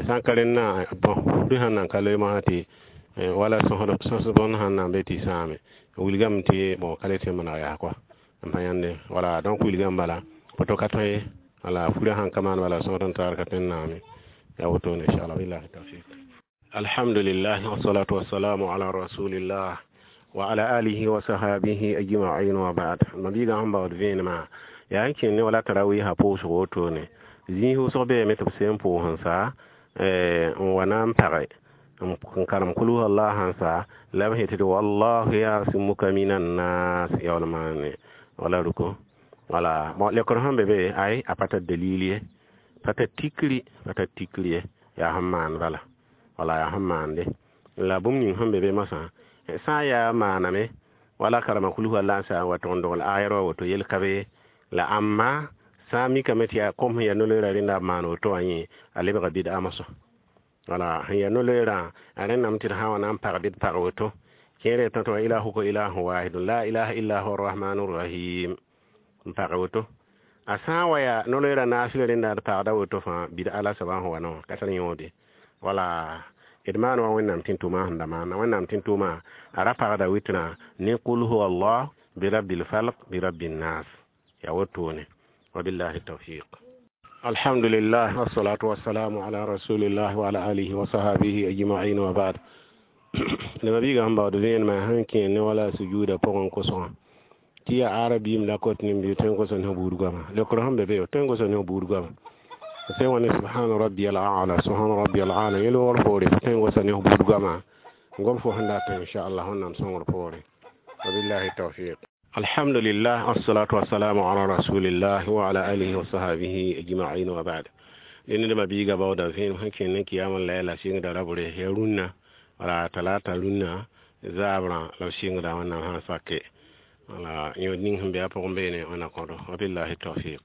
Sã n ka rẽndã bõn furã sẽn na n ka loe moasã tɩ wala sõs bõnd sãn na n be tɩ sãame wilgame tɩ bon ka le tɩ n maneg yaa kɔa. N pa yãnde. Wala donc wilgame bala poto ka tõe ye. Wala furã sãn ka maan bala sõsd n taar ka tõe n naame. Yaa wotone inshallah, billahi tawfiq. Alhamdulillah, wassalatu wassalamu ala rasulillah wa ala alihi wa sahbihi ajma'in wa ba'd. Mabiga sẽn baood vẽenemã yaa n kẽer ne wala tarawiisã pʋʋsg wotone. Zĩig wʋsg beeme tɩ b sẽn pʋʋs n sa n wa na n page n karem kul huwa allah sãn sa la b yetɩ tɩ wallahu yasimuka minan nas yaool maane wala ruko. Wala bon lekr sẽn be be ay a pa tar dalil ye, pa tar tikri, pa tar tikri ye, yaa sẽn maan bala. Wala yaa sẽn maande. La bũmb ning sẽn be be moasã sã n yaa maaname wala karema kul huwa allah n sa n wa tʋg n dogl ayɛr wa woto yel ka be la ãmba sã n mikame tɩ yaa kom sẽn yaa no-loeerã rẽnda b maan woto wã yẽ a lebga bɩd-a moasã. Wala sẽn yaa no-loeerã a rẽndame tɩ d sã n wa na n pag bɩ d pag woto. Kẽer tã tɩ wa ilahuka ilahun wahidun la ilaha illa huwa arrahmanu rrahim n pag woto. A sã n wa yaa no-loeerã naasɩla rẽnda d pagda woto fãa bɩd-a la soabã sẽn wa na wã ka tar yõode. Wala d maan wã Wẽnnaam tɩ tʋma sẽn da maana. Wẽnnaam tɩ tʋma a ra pagda wɩtrã ne qul huwa allah bi rabbil falq bi rabbin nas. Yaa wotone. Wabillahi tawfiq. Alhamdulillah, wassalatu wassalamu ala rasulillah wa ala alihi wa sahbihi ajma'in wa ba'd. La mabiga sẽn baood vẽenemã sẽn kẽer ne wala sujuuda pʋgẽ kosgã tɩ yaa arabiim la kot nin-biis tõe n gosa ne buud goama. Lekr sẽn be be tõe n gosa ne buud goama. Sẽn wa ne subhana rabbiyal a'la, subhana rabbiyal a'la yel wogr poore fo tõe n gosa ne buud goama. N gom fo sẽn dat inshallah Wẽnnaam sõngr poore. Wabillahi tawfiq. Alhamdulillah, wassalatu wassalamu ala rasulillah wa ala alihi wa sahbihi ajma'in wa ba'd. Dẽnd mabiiga baooda vẽenem sẽn kẽer ne kiyam n layla sɩngda rabre yaa rũnnã wala talata rũnnã zaabrã la b sɩngda Wẽnnaam sã n sake. Wala yõod ning sẽn be a pʋgẽ beene wẽnna kõdo. Wabillahi tawfiq.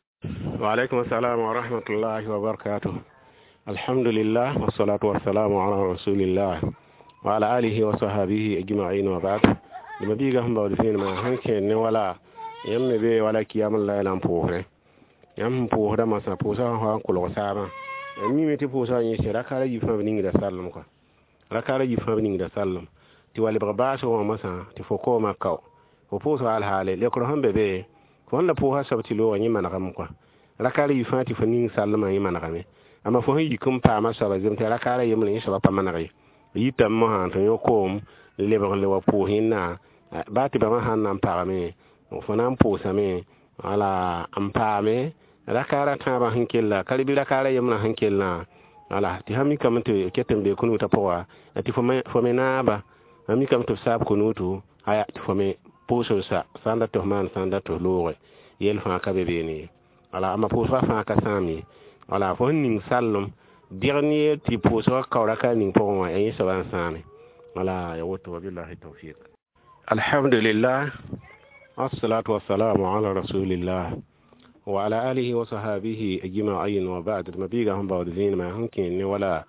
Wa alaykum assalam wa rahmatullahi wa barakatuh. Alhamdulillah, wassalatu wassalamu ala rasulillah wa ala alihi wa sahbihi ajma'in wa ba'd. Mabiiga sẽn baood vẽenemã sẽn kẽer ne wala yãmb me be wala kiyam n layla n pʋʋsre. Yãmb sẽn pʋʋsda masã pʋʋsã sẽn wa n kolg saabã. Yãmb mime tɩ pʋʋsã yẽse rakaara yiib fãa b ningda sallem kɔa. Rakaara yiib fãa b ningda sallem. Tɩ wa lebg baasg wã masã tɩ fo koomã kao. Fo pʋʋsga alhaale lekr sẽn be be fo sẽn la pʋʋsã soab tɩ loogã yẽ manegame kɔa. Rakaara yiib fãa tɩ fo ning salmã yẽ manegame. Amma fo sẽn yik n paama soaba zem tɩ rakaara yembre yẽ soaba pa maneg ye. Yitame mosã tɩ yõ koom lebg n le wa pʋʋs yẽnna baa tɩ bãmba sãn na n pagame fo na n pʋʋsame wala n paame rakaara tãabã sẽn kella ka bɩ rakaara yembrã sẽn kellã wala tɩ sã mikame tɩ ket n bee kunuutã pʋga tɩ fo me naaba sã mikame tɩ f saab kunuutu aya tɩ fo me pʋʋs n sa sã n dat tɩ f maan sã n dat tɩ f looge yel fãa ka be beene ye. Wala amma pʋʋsgã fãa ka sãam ye. Wala fo sẽn ning sallem dɩgd ne tɩ pʋʋsgã kao rakaar ning pʋgẽ wã yaa yẽ soabã n sãame. Wala ya woto, wabillahi tawfiq. Alhamdulillah, assalatu wassalamu ala rasulillah wa ala alihi wa sahbihi ajma'in wa ba'd. Mabiga sẽn baood vẽenemã sẽn kẽer ne wala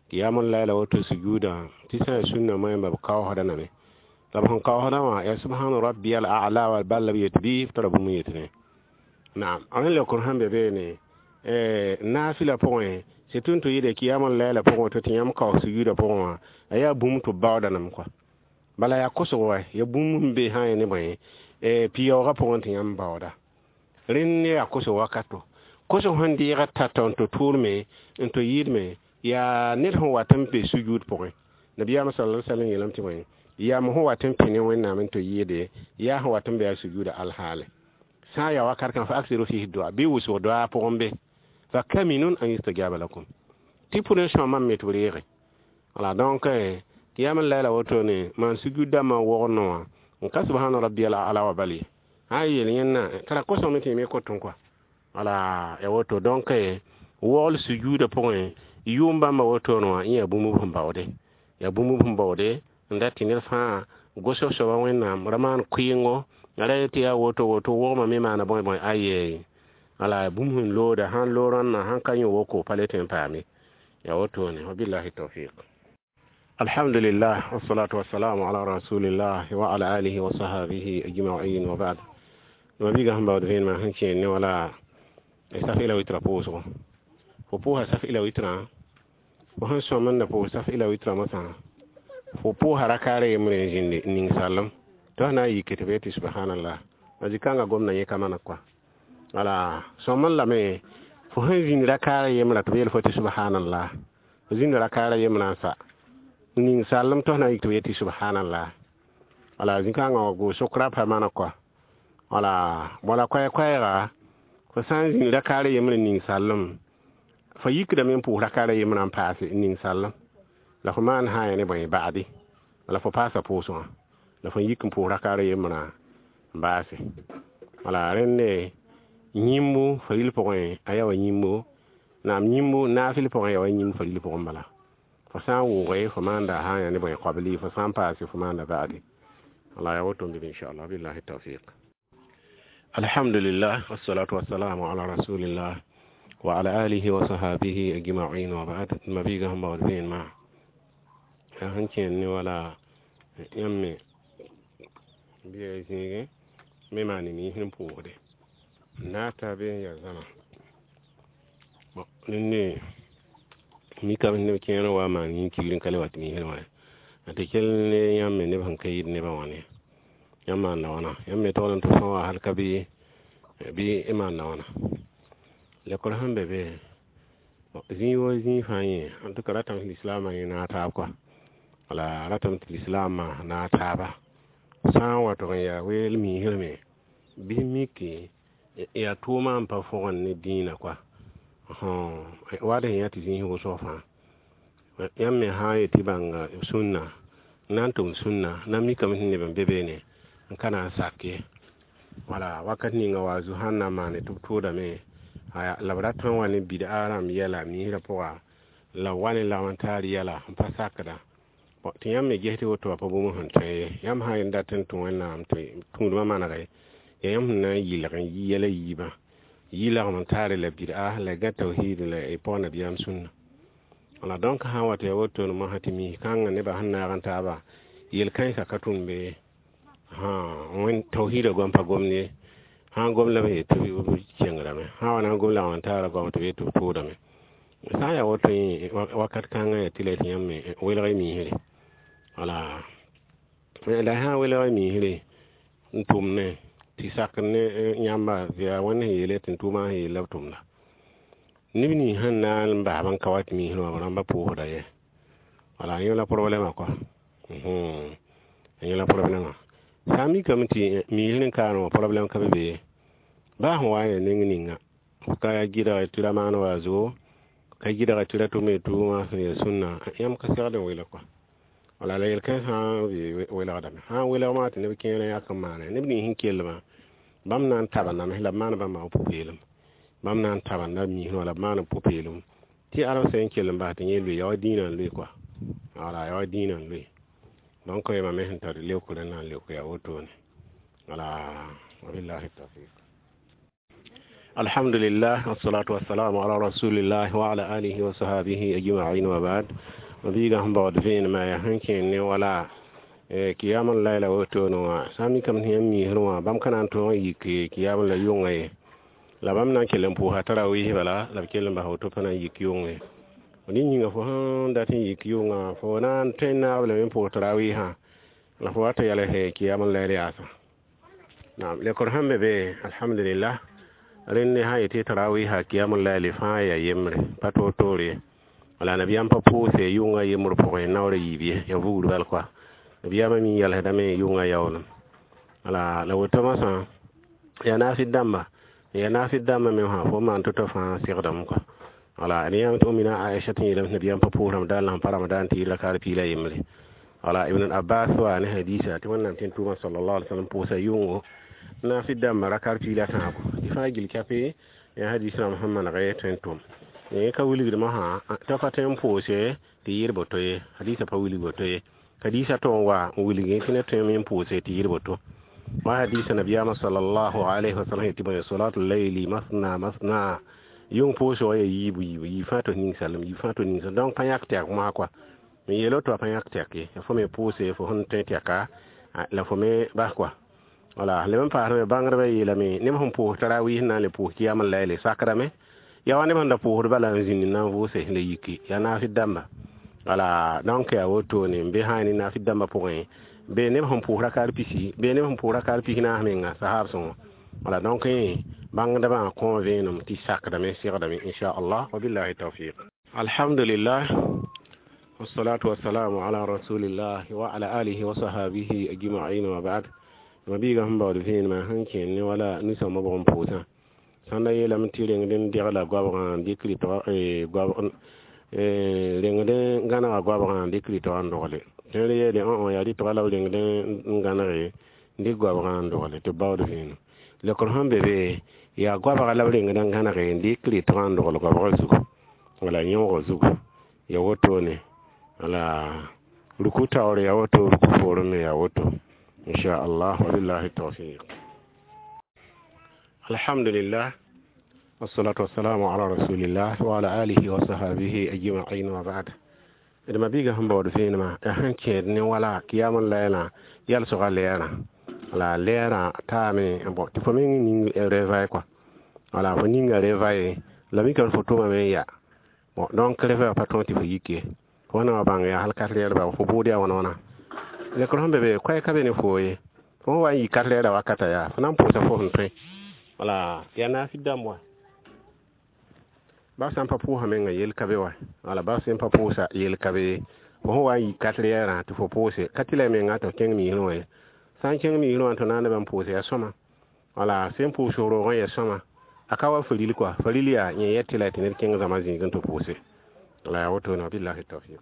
kiyam n layla woto sujuuda tɩ sã n sũnna moẽmba b kaoosda lame. La b sẽn kaoosdã wã yaa subhana rabbiyal a'la wa bal la b yet bɩ b tara bũmb n yetne. Naam, rẽ lekr sẽn be beene naafɩla pʋgẽ Tɩ tɩ yɩɩda kiyama laila pʋgẽ tɩ yãmb kaoog sujuudã pʋgẽ wã a yaa bũmb tɩ b baooda nem kɔa bala yaa kosg wa ya bũmb n be sã n ne bõe pɩ-yaoogã pʋgẽ tɩ yãmb baooda rẽnd yaa kosg wakato kosg sẽn deega tata n tɩ tʋʋlme n tɩ yɩɩdme yaa ned sẽn wat n be sujuud pʋgẽ nabiyaam sallallahu alaihi wasallam yeelame tɩ bõe yaa mo sẽn wat n pĩ ne wẽnnaam n tɩ yɩɩde yaa sẽn wat n be a sujuuda alhaale sã n yaa wakat kãng fa aksiru fihi dua bɩ wʋsg doa pʋgẽ be fa kaminun an yustajaba lakum tɩ pʋdẽ sõama me tɩ b reege wala donc kiyama laila wotone maan sujud dãmbã n wog noowã n ka subhana rabbiyal ala wa bal ye sã n yeel yẽnna tara kosg me tɩ yẽ me kotẽ kɔa wala ya woto donc wogl sujuudã pʋgẽ yʋʋm bãmba wotone wã yẽ yaa bũmb sẽn baoode yaa bũmb sẽn baoode n dat tɩ ned fãa gosg soaba wẽnnaam ra maan kʋɩɩngo ra yetɩ yaa woto woto wogmã me maana bõe bõe aye wala bũmb sẽn looda sãn loog rãnnã sãn ka yõ woko pa le tõe n paame ya wotone wabillahi tawfiq. Alhamdulillah wassalatu wassalamu ala rasulillah wa ala alihi wa sahbihi ajma'in wa ba'd. Mabiga sẽn baood vẽenemã sẽn kẽer ne wala saf ila witra pʋʋsgo fo pʋʋsa saf ila witrã fo sẽn sõm n da pʋʋs saf ila witrã mosã fo pʋʋsa rakaara yembre n zĩndi n ning sallem tɩ f na n yike tɩ b yetɩ subhanallah a zĩ-kãngã gomda yẽ ka maneg kɔa wala sõm n lame fo sẽn zĩnd rakaara yembrã tɩ b yeel fo tɩ subhanallah fo zĩnda rakaara yembrã n sa ning sallem tɩ f na n yik tɩ b yetɩ subhanallah wala zĩ-kãngã wa gʋʋs sokra pa maneg kɔa wala wala koɛɛ-koɛɛga fo sã n zĩnd rakaara yembrã ning sallem fo yikdame n pʋʋs rakaara yembrã n paase n ning sallem la fo maan sã n yaa ne bõe ba'adi wala fo paasa pʋʋsgã la fo yik n pʋʋs rakaara yembrã n baase wala rẽnde yĩmbu faril pʋgẽ a yaa wa yĩmbu naam yĩmbu naafɩl pʋgẽ yaa wa yĩmb faril pʋgẽ bala fo sã n wʋʋge fo maanda sã n yaa ne bõe qabli fo sã n paase fo maanda ba'adi wala yaa woto n bɩ inchallah billahi tawfiq. Alhamdulillah wassalatu wassalamu ala rasulillah wa ala alihi wa sahbihi ajma'in wa ba'd. Mabiga sẽn baood vẽenemã yaa sẽn kẽer ne wala yãmb me bɩ ya zĩigẽ me maan miisd n pʋʋsde n na ta be n yaa zãma rẽnde mikame neb kẽer n wa n maan yĩn-kiigr n ka le wa tɩ miisd wã tɩ kell ne yãmb me neb sẽn ka yɩɩd nebã wã ne yãmb maanda wãna yãmb me togl n tɩ fõ wa hal ka bɩ y maanda wãna lekor sẽn be be zĩig wa zĩig fãa yẽ en tout cas ratame tɩ lislaamã yẽ naag taab kɔa wala ratame tɩ lislaamã naag taaba sã n wa tʋg n yaa weel miisrame bɩ miki yaa tʋʋmã n pa fõgen ne dĩinã kɔa wa d sẽn yã tɩ zĩis wʋsg fãa yãmb me sã n yetɩ bãnga sũnna n na n tʋm sũnna na n mikame tɩ neb n be beene n ka na n sak ye wala wakat ninga wa zu sãn na n maane tɩ b tʋʋdame la b rat n wa ne bid'a rãmb yɛla miisrã pʋga la b wa ne lagm n taar yɛla n pa sakda tɩ yãmb me ges tɩ woto wa pa bũmb sẽn tõe ye yãmb sã n dat n tũ wẽnnaam tɩ tũudmã manege yaa yãmb sẽn na n yɩlg n yi yɛla yiibã yi lagm n taare la bid'a la gã tawhid la y pɔg nabiyaam sũnna wala donc sã n wa tɩ ya wotone mosã tɩ miis kãngã nebã sẽn naag n taaba yel-kãensã ka tũn be wẽn tawhiidã goam pa gomd ye sã n gom la b yet tɩ b kẽngrame sã n wa na n gom lagm n taara goam tɩ b yet tɩ b tʋʋdame sã n yaa woto yẽ wakat kãngã yaa tɩ la tɩ yãmb me welg y miisre wala la sã n welg y miisre n tʋm ne tɩ sak ne yãmba yaa wẽnd sẽn yeele tɩ n tʋʋmã sẽn yeel la b tʋmda neb nins sẽn na n basb n ka wa tɩ miisr wã b rãmba pʋʋsda ye wala yẽ la problɛmã kɔa yẽ la problɛmã sã n mikame tɩ miisr n kaane wã problɛm ka be be ye baa sẽn wa n yaa neng ninga ka gɩdg tɩ ra maan wa zugo ka gɩdg tɩ ra tʋme tʋʋmã sẽn yaa sũnna yãmb ka segd n welg kɔa wala la yel-kãens sã n welgdame sã n welg maa tɩ neb kẽer n yak n maane neb nins sẽn kellmã bãmb na n taba nams la b maan bãmba wã pʋ-peelem bãmb na n tabanda miisẽ wã la b maan b pʋ-peelem tɩ alb sẽn kell n bas tɩ yẽ loe yaa wa dĩinã n loe kɔa wala yaa wa dĩinã n loe donc yãmba me sẽn tar leokrã na n leok yaa wotone wala wabillahi tawfiq. Alhamdulillah wassalatu wassalamu ala rasulillah wa ala alihi wa sahbihi ajma'in wa ba'd. Mabiiga sẽn baood vẽenemã yaa sẽn kẽer ne wala kiyam n laila wotone wã sã n mikame tɩ yãmb miisr wã bãmb ka na n tõog n yik kiyam la yʋngã ye la bãmb na n kell n pʋʋsa tarawis bala la b kell n bas woto pa na n yik yʋngẽ Fo nin yĩnga fo sẽn dat n yik yʋngã fo na n tõe n naab lame n pʋʋs tarawiisã la fo wat n yals kiyam n layl yaasã. Naam, lekor sẽn be be, alhamdulillah, rẽnd sã n yetɩ tarawiisã kiyam n layl fãa yaa yembre, pa toor-toor ye. Wala nabiyaam pa pʋʋse yʋngã yembr pʋgẽ naoor a yiib ye, yaa vugr bal koa. Nabiyaamã mi yalsdame yʋngã yaoolem. Wala la woto masã yaa naafɩd dãmba, yaa naafɩd dãmbã me wã fo maan to-to fãa segdame koa. Wala ne yãmb tɩ mina Aisha tɩ yeelame tɩ nabiyaam pa pʋʋs Ramadan la sẽn pa Ramadan tɩ yɩ rakar piig la yembre. Wala Ibn Abbas wa ne hadisa tɩ Wẽnnaam tẽn-tʋʋmã sallallahu alaihi wasallam pʋʋsa yʋngo naafɩd dãmbã rakar piig la tãabo. Tɩ fãa gil kape yaa hadis rãmb sẽn maneg tõe n tʋm. Yẽ ka wilgdmã sã t'a pa tõe n pʋʋse tɩ yɩɩr boto ye, hadisa pa wilg boto ye. Hadisa tʋg n wa n wilgẽ tɩ ned tõeme n pʋʋse tɩ yɩɩr boto. Wa hadisa nabiyaamã sallallahu alaihi wasallam yetɩ bõe salatul layli masna masna, yʋng pʋʋsgã yaa yiibu yiibu, yiib fãa tɩ ning-salem, yiib fãa tɩ ning-salem. Donc pa yãk tɛk mosã koa. Me yeelo tɩ wa pa yãk tɛk ye, fo me pʋʋse fo sẽn tõe tɛka la fo me bas koa. Wala leb n paasame bãngdbã yeelame neb sẽn pʋʋs tarawiis n na n le pʋʋs kiyam n layle sakrame. Yaa wa neb sẽn da pʋʋsd bala n zĩnd n na n vʋʋse la yiki, yaa naafɩd dãmba. Wala donc yaa wotone n be sã ne naafɩd dãmbã pʋgẽ, be neb sẽn pʋʋs rakar pisi, be neb sẽn pʋʋs rakar pis naas menga sahab sõngo. Wala donc bãngdbã kõ vẽenem tɩ sakdame segdame inchallah, wabillahi tawfiq. Alhamdulillah, wassalatu wassalamu ala rasulillah wa ala alihi wa sahabihi ajma'in wa ba'd. Mabiiga sẽn baood vẽenemã sẽn kẽen ne wala ninsãmbã bʋg n pʋʋsã sãn da yeelame tɩ rengd n degla goabgã n dɩk rɩtg rengd n gãnega goabgã n dɩk rɩtgã n dogle. Tõe yeele yaa rɩtga la b rengd n gãnege n dɩk goabgã n dogle tɩ b baood vẽenem. Lekr sẽn be be yaa goabga la b rengd n gãnege n dɩk rɩtgã n dogl goabgã zugu wala yõogã zugu, ya wotone. Wala ruku taoor yaa woto, ruku poorẽ me yaa woto, inchallah, wabillahi tawfiq. Alhamdulillah, wassalatu wassalamu ala rasulillah wa ala alihi wa sahabihi ajma'in wa ba'd. D mabiiga sẽn baood vẽenemã yaa sẽn kẽed ne wala kiyam n layla yalsgã lɛɛrã. Wala lɛɛrã taame bon tɩ fo meng ning réveil quoi. Wala fo ninga réveil la mikame fo tʋmame n ya. Bon donc réveil pa tõog tɩ fo yik ye. Fo na wa bãng yaa hal kat lɛɛr ba fo bʋʋd yaa wãna wãna. Lekr sẽn be be koɛɛg ka be ne foo ye. Fo sẽn wa n yik kat lɛɛrã wakata yaa fo na n pʋʋsa fo sẽn tõe. Wala yaa naafɩd dãmb wa. Ba sã n pa pʋʋsã menga yel ka be wa. Wala ba sẽn pa pʋʋsa yel ka be. Fo sẽn wa n yik kat lɛɛrã tɩ fo pʋʋse ka tɩ la menga tɩ f kẽng miisrẽ wã ye. Sã n kẽng miisrẽ wã tɩ na n leb n pʋʋse yaa sõma. Wala sẽn pʋʋs roogã yaa sõma. A ka wa faril koa. Faril yaa yẽ yɛ tɩ la tɩ ned kẽng zãma zĩigẽ tɩ pʋʋse. La yaa wotone, wabillahi tawfiq.